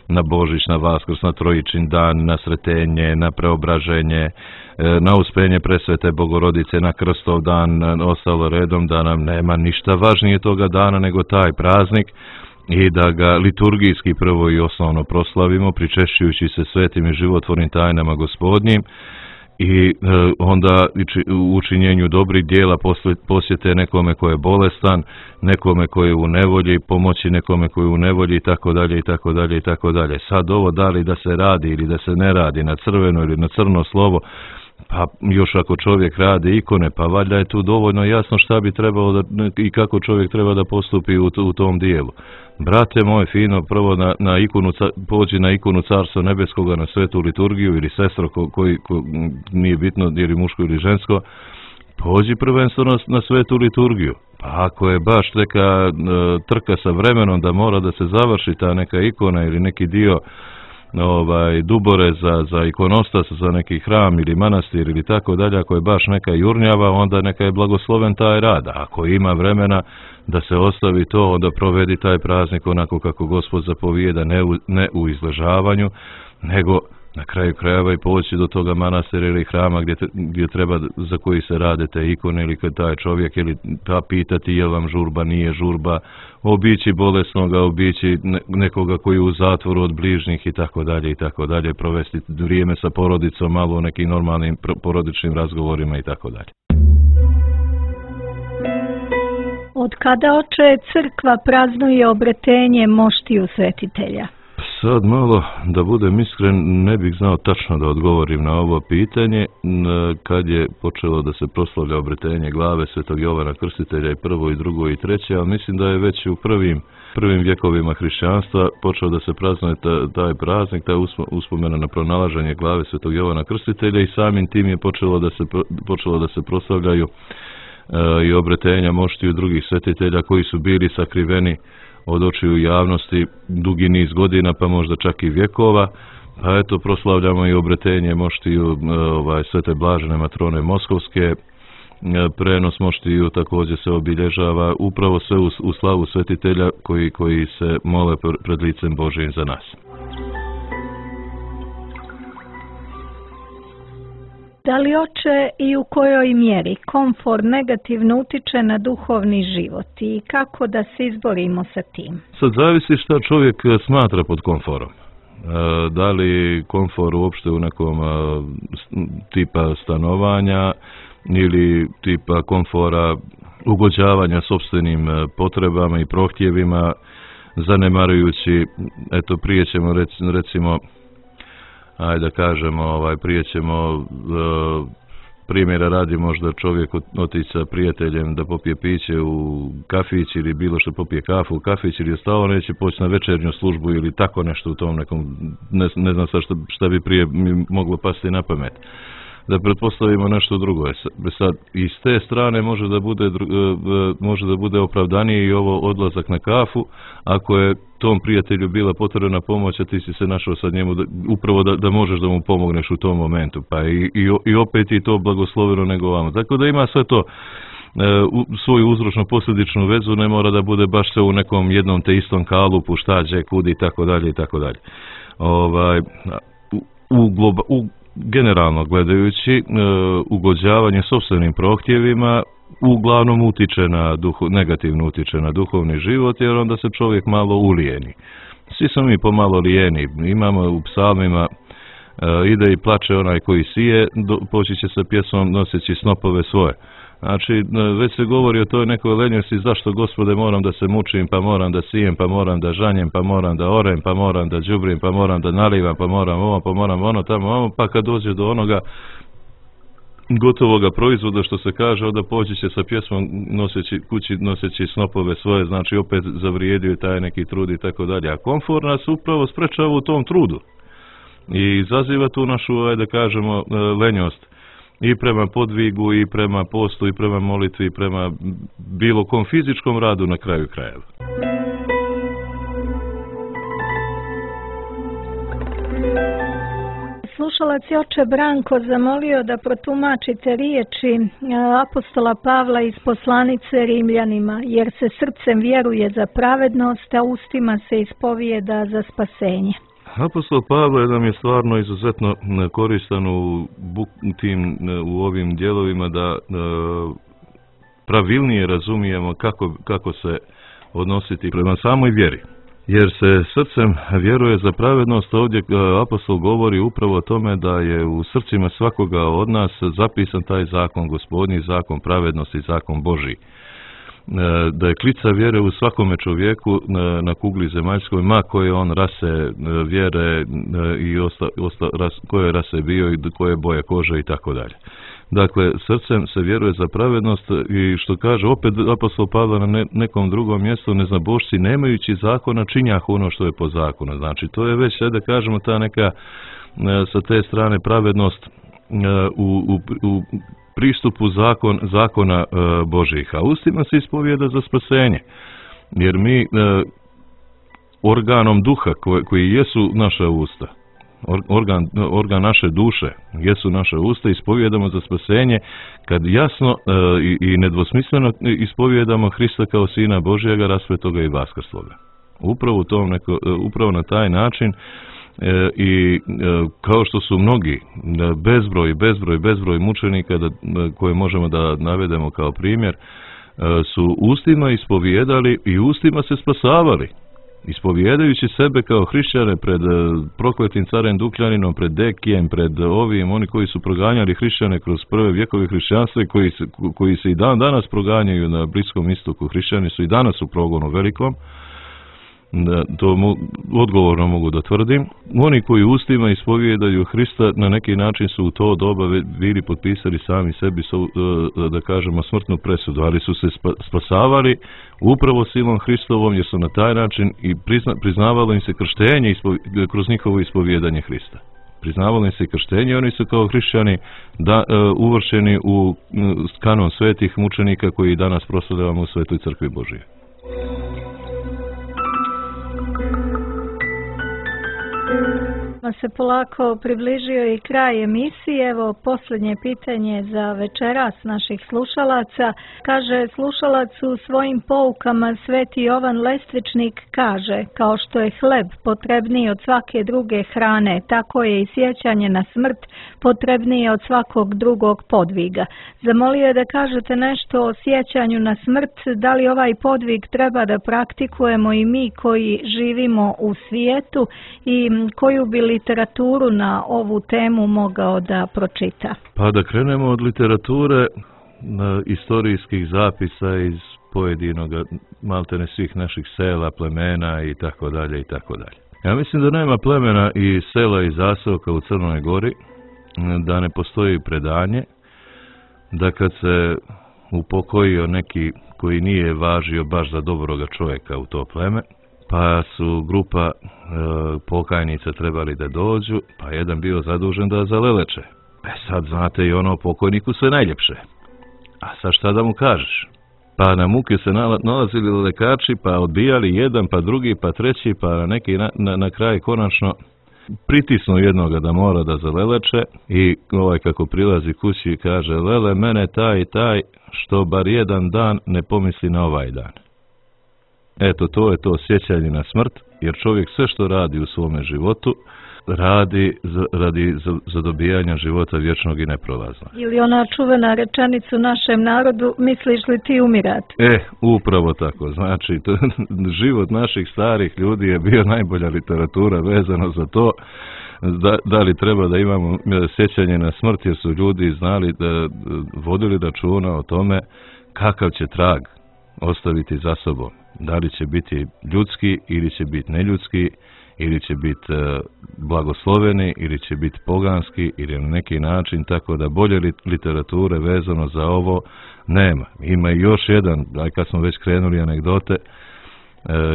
na Božić, na Vaskrs, na Trojičin dan, na Sretenje, na Preobraženje, na Uspenje Presvete Bogorodice, na Krstov dan, ostalo redom, da nam nema ništa važnije toga dana nego taj praznik i da ga liturgijski prvo i osnovno proslavimo, pričešćujući se svetim i životvornim tajnama gospodnjim, i e, onda u učinjenju dobrih dijela posjete nekome ko je bolestan, nekome ko je u nevolji, pomoći nekome ko je u nevolji i tako dalje i tako dalje i tako dalje. Sad ovo da li da se radi ili da se ne radi na crveno ili na crno slovo, pa još ako čovjek radi ikone, pa valjda je tu dovoljno jasno šta bi trebalo da, i kako čovjek treba da postupi u, u tom dijelu. Brate moj, fino, prvo na, na ikonu, pođi na ikonu Carstva Nebeskoga, na svetu liturgiju, ili sestro ko, koji ko, nije bitno ili muško ili žensko, pođi prvenstveno na, na svetu liturgiju. Pa ako je baš neka e, trka sa vremenom da mora da se završi ta neka ikona ili neki dio ovaj dubore za, za ikonostas, za neki hram ili manastir ili tako dalje, ako je baš neka jurnjava, onda neka je blagosloven taj rad. Ako ima vremena da se ostavi to, onda provedi taj praznik onako kako Gospod zapovijeda, ne u, ne u izležavanju, nego na kraju krajeva i poći do toga manastira ili hrama gdje, te, gdje treba, za koji se rade te ikone, ili kad taj čovjek, ili pa pitati je vam žurba, nije žurba, obići bolesnoga, obići nekoga koji je u zatvoru od bližnjih i tako dalje i tako dalje, provesti vrijeme sa porodicom malo u nekim normalnim porodičnim razgovorima i tako dalje. Od kada, oče, crkva praznuje obretenje moštiju svetitelja? Sad malo, da budem iskren, ne bih znao tačno da odgovorim na ovo pitanje. Kad je počelo da se proslavlja obretenje glave Svetog Jovana Krstitelja i prvo i drugo i treće, ali mislim da je već u prvim, prvim vjekovima hrišćanstva počeo da se praznuje taj praznik, taj uspomena na pronalaženje glave Svetog Jovana Krstitelja, i samim tim je počelo da se, počelo da se proslavljaju e, i obretenja moštiju drugih svetitelja koji su bili sakriveni od očiju javnosti dugi niz godina, pa možda čak i vjekova. Pa eto, proslavljamo i obretenje moštiju ovaj, Svete Blažene Matrone Moskovske. Prenos moštiju također se obilježava upravo sve u, u slavu svetitelja koji, koji se mole pred licem Božijim za nas. Da li, oče, i u kojoj mjeri komfor negativno utiče na duhovni život i kako da se izborimo sa tim? Sad zavisi šta čovjek smatra pod komforom. Da li komfor uopšte u nekom tipa stanovanja ili tipa komfora ugođavanja sopstvenim potrebama i prohtjevima, zanemarujući, eto prije ćemo recimo, ajde da kažemo, ovaj, prije ćemo uh, primjera radi možda čovjek otići sa prijateljem da popije piće u kafić ili bilo što, popije kafu u kafić ili ostalo, neće poći na večernju službu ili tako nešto u tom nekom, ne, ne znam sad šta, šta bi prije mi moglo pasti na pamet. Da pretpostavimo nešto drugo. Sad, i s te strane može da bude, može da bude opravdanije i ovo odlazak na kafu, ako je tom prijatelju bila potrebna pomoć, a ti si se našao sad njemu da, upravo da, da možeš da mu pomogneš u tom momentu, pa i, i, i opet i to blagosloveno nego vama. Tako da ima sve to e, u, svoju uzročno posljedičnu vezu, ne mora da bude baš sve u nekom jednom te istom kalupu, šta, gdje, kud i tako dalje i tako dalje. Ovaj, u, u, globa, u generalno gledajući, e, ugođavanje sopstvenim prohtjevima uglavnom utiče na duhu, negativno utiče na duhovni život, jer onda se čovjek malo ulijeni. Svi smo mi pomalo lijeni. Imamo u psalmima e, ide i plače onaj koji sije, do, poći će sa pjesmom noseći snopove svoje. Znači, već se govori o toj nekoj lenjosti, zašto, Gospode, moram da se mučim, pa moram da sijem, pa moram da žanjem, pa moram da orem, pa moram da đubrim, pa moram da nalivam, pa moram ovo, pa moram ono, tamo, ovo, pa kad dođe do onoga, gotovoga proizvoda, što se kaže, onda poći će sa pjesmom noseći kući, noseći snopove svoje, znači opet zavrijedio taj neki trud i tako dalje. A komfor nas upravo sprečava u tom trudu i izaziva tu našu, ajde da kažemo, lenjost i prema podvigu, i prema postu, i prema molitvi, i prema bilo kom fizičkom radu na kraju krajeva. Slušalac je oče Branko zamolio da protumačite riječi apostola Pavla iz poslanice Rimljanima, jer se srcem vjeruje za pravednost, a ustima se ispovijeda za spasenje. Apostol Pavle nam je stvarno izuzetno koristan u, tim, u ovim dijelovima da pravilnije razumijemo kako, kako se odnositi prema samoj vjeri. Jer se srcem vjeruje za pravednost, ovdje apostol govori upravo o tome da je u srcima svakoga od nas zapisan taj zakon, gospodnji zakon pravednosti, zakon Božji. Da je klica vjere u svakome čovjeku na, na kugli zemaljskoj, ma koje on rase vjere i osta, osta, ras, koje rase bio i koje boje kože i tako dalje. Dakle, srcem se vjeruje za pravednost i što kaže opet apostol Pavle na ne, nekom drugom mjestu, neznabošci nemajući zakona činjahu ono što je po zakonu. Znači, to je već, da kažemo, ta neka sa te strane pravednost u, u, u pristupu zakon, zakona Božih. A ustima se ispovijeda za spasenje. Jer mi organom duha koji, koji jesu naša usta, Organ, organ naše duše, jesu naše usta, ispovijedamo za spasenje kad jasno e, i, i nedvosmisleno ispovijedamo Hrista kao Sina Božjega, raspetoga i vaskrsloga. Upravo, tom neko, upravo na taj način e, i e, kao što su mnogi, bezbroj, bezbroj, bezbroj mučenika da, koje možemo da navedemo kao primjer, e, su ustima ispovijedali i ustima se spasavali. Ispovijedajući sebe kao hrišćane pred prokletim carem Dukljaninom, pred Dekijem, pred ovim, oni koji su proganjali hrišćane kroz prve vjekove hrišćanstva i koji se, koji se i dan danas proganjaju na Bliskom istoku, hrišćani su i danas u progonu velikom, to mo, odgovorno mogu da tvrdim. Oni koji ustima ispovijedaju Hrista na neki način su u to doba bili potpisali sami sebi, da kažemo, smrtnu presudu, ali su se spasavali upravo silom Hristovom, jer su na taj način i prizna, priznavalo im se krštenje ispovi, kroz njihovo ispovijedanje Hrista. Priznavalo im se krštenje i oni su kao hrišćani da, uh, uvršeni u uh, kanon svetih mučenika koji danas proslavljamo u Svetoj crkvi Božije. Se polako približio i kraj emisije. Evo posljednje pitanje za večeras naših slušalaca. Kaže slušalac u svojim poukama Sveti Jovan Lestvičnik kaže, kao što je hleb potrebniji od svake druge hrane, tako je i sjećanje na smrt potrebnije od svakog drugog podviga. Zamolio je da kažete nešto o sjećanju na smrt, da li ovaj podvig treba da praktikujemo i mi koji živimo u svijetu i koju bi literaturu na ovu temu mogao da pročita? Pa da krenemo od literature, istorijskih zapisa iz pojedinog, maltene svih naših sela, plemena i tako dalje i tako dalje. Ja mislim da nema plemena i sela i zaseoka u Crnoj Gori, da ne postoji predanje, da kad se upokojio neki koji nije važio baš za dobroga čovjeka u to pleme, pa su grupa e, pokajnica trebali da dođu, pa jedan bio zadužen da zaleleče. E sad znate i ono pokojniku sve najljepše. A sad šta da mu kažeš? Pa na muke se nalazili lekači, pa odbijali jedan, pa drugi, pa treći, pa na neki na, na, na kraj konačno pritisnu jednoga da mora da zaleleče i ovaj kako prilazi kući kaže, lele mene taj i taj što bar jedan dan ne pomisli na ovaj dan. Eto, to je to sjećanje na smrt, jer čovjek sve što radi u svome životu, radi za, radi za, za dobijanja života vječnog i neprolaznog. Ili ona čuvena rečenica u našem narodu, misliš li ti umirati? E, upravo tako. Znači, to, život naših starih ljudi je bio najbolja literatura vezano za to, da, da li treba da imamo sjećanje na smrt, jer su ljudi znali da vodili računa o tome kakav će trag ostaviti za sobom. Da li će biti ljudski ili će biti neljudski, ili će biti e, blagosloveni, ili će biti poganski, ili na neki način, tako da bolje literature vezano za ovo nema. Ima i još jedan, aj kad smo već krenuli anegdote, e,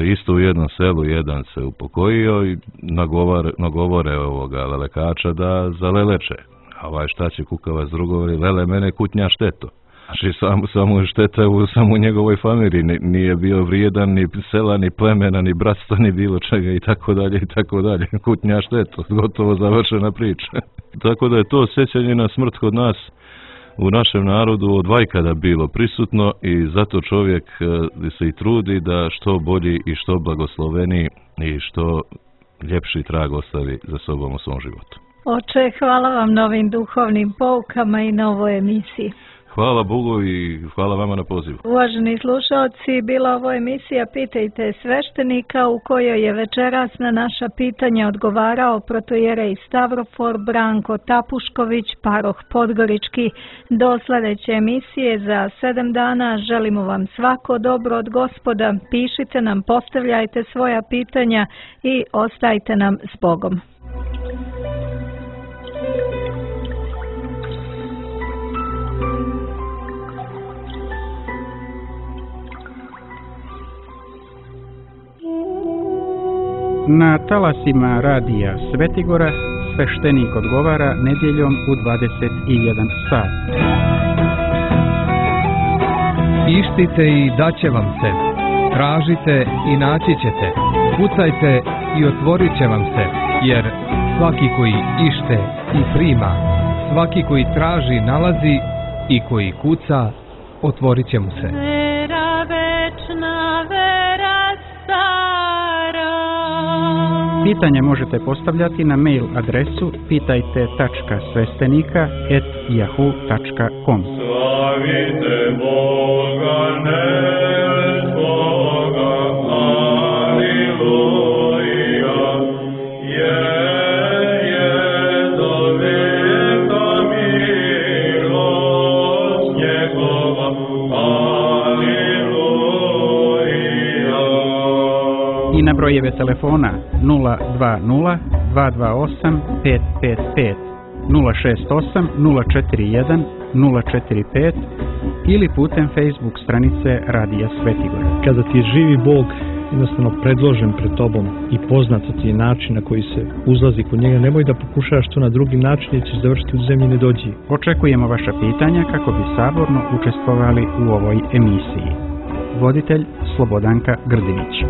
isto u jednom selu jedan se upokojio i nagovore, nagovore ovoga lelekača da zaleleče. A ovaj šta će kukavac drugovori, lele mene kutnja šteto. Znači samo, samo šteta u samo njegovoj familiji, nije bio vrijedan ni sela, ni plemena, ni bratstva, ni bilo čega i tako dalje i tako dalje. Kutnja šteto, gotovo završena priča. Tako da je to sjećanje na smrt kod nas u našem narodu od vajkada bilo prisutno i zato čovjek se i trudi da što bolji i što blagosloveniji i što ljepši trag ostavi za sobom u svom životu. Oče, hvala vam na ovim duhovnim poukama i na ovoj emisiji. Hvala Bogu i hvala vama na pozivu. Uvaženi slušalci, bila ovo emisija Pitajte sveštenika u kojoj je večeras na naša pitanja odgovarao protojerej Stavrofor Branko Tapušković, paroh Podgorički. Do sljedeće emisije za sedam dana želimo vam svako dobro od Gospoda. Pišite nam, postavljajte svoja pitanja i ostajte nam s Bogom. Na talasima radija Svetigora sveštenik odgovara nedjeljom u dvadeset jedan sat. Ištite i daće vam se. Tražite i naći ćete. Kucajte i otvorit će vam se. Jer svaki koji ište i prima, svaki koji traži nalazi i koji kuca, otvorit će mu se. Vera večna, vera stara. Pitanje možete postavljati na mail adresu pitajte tačka sveštenika at yahoo tačka com. Slavite Boga nebeskog, aleluja, je, je do veka milost njegova, aleluja. I na brojeve telefona nula dva nula dva dva osam pet pet pet, nula šest osam nula četiri jedan nula četiri pet ili putem Facebook stranice Radija Svetigora. Kada ti je živi Bog jednostavno predložen pred tobom i poznat ti je način na koji se uzlazi kod njega, nemoj da pokušaš to na drugi način jer ćeš završiti u zemlji nedođi. Očekujemo vaša pitanja kako bi saborno učestvovali u ovoj emisiji. Voditelj Slobodanka Grdinić.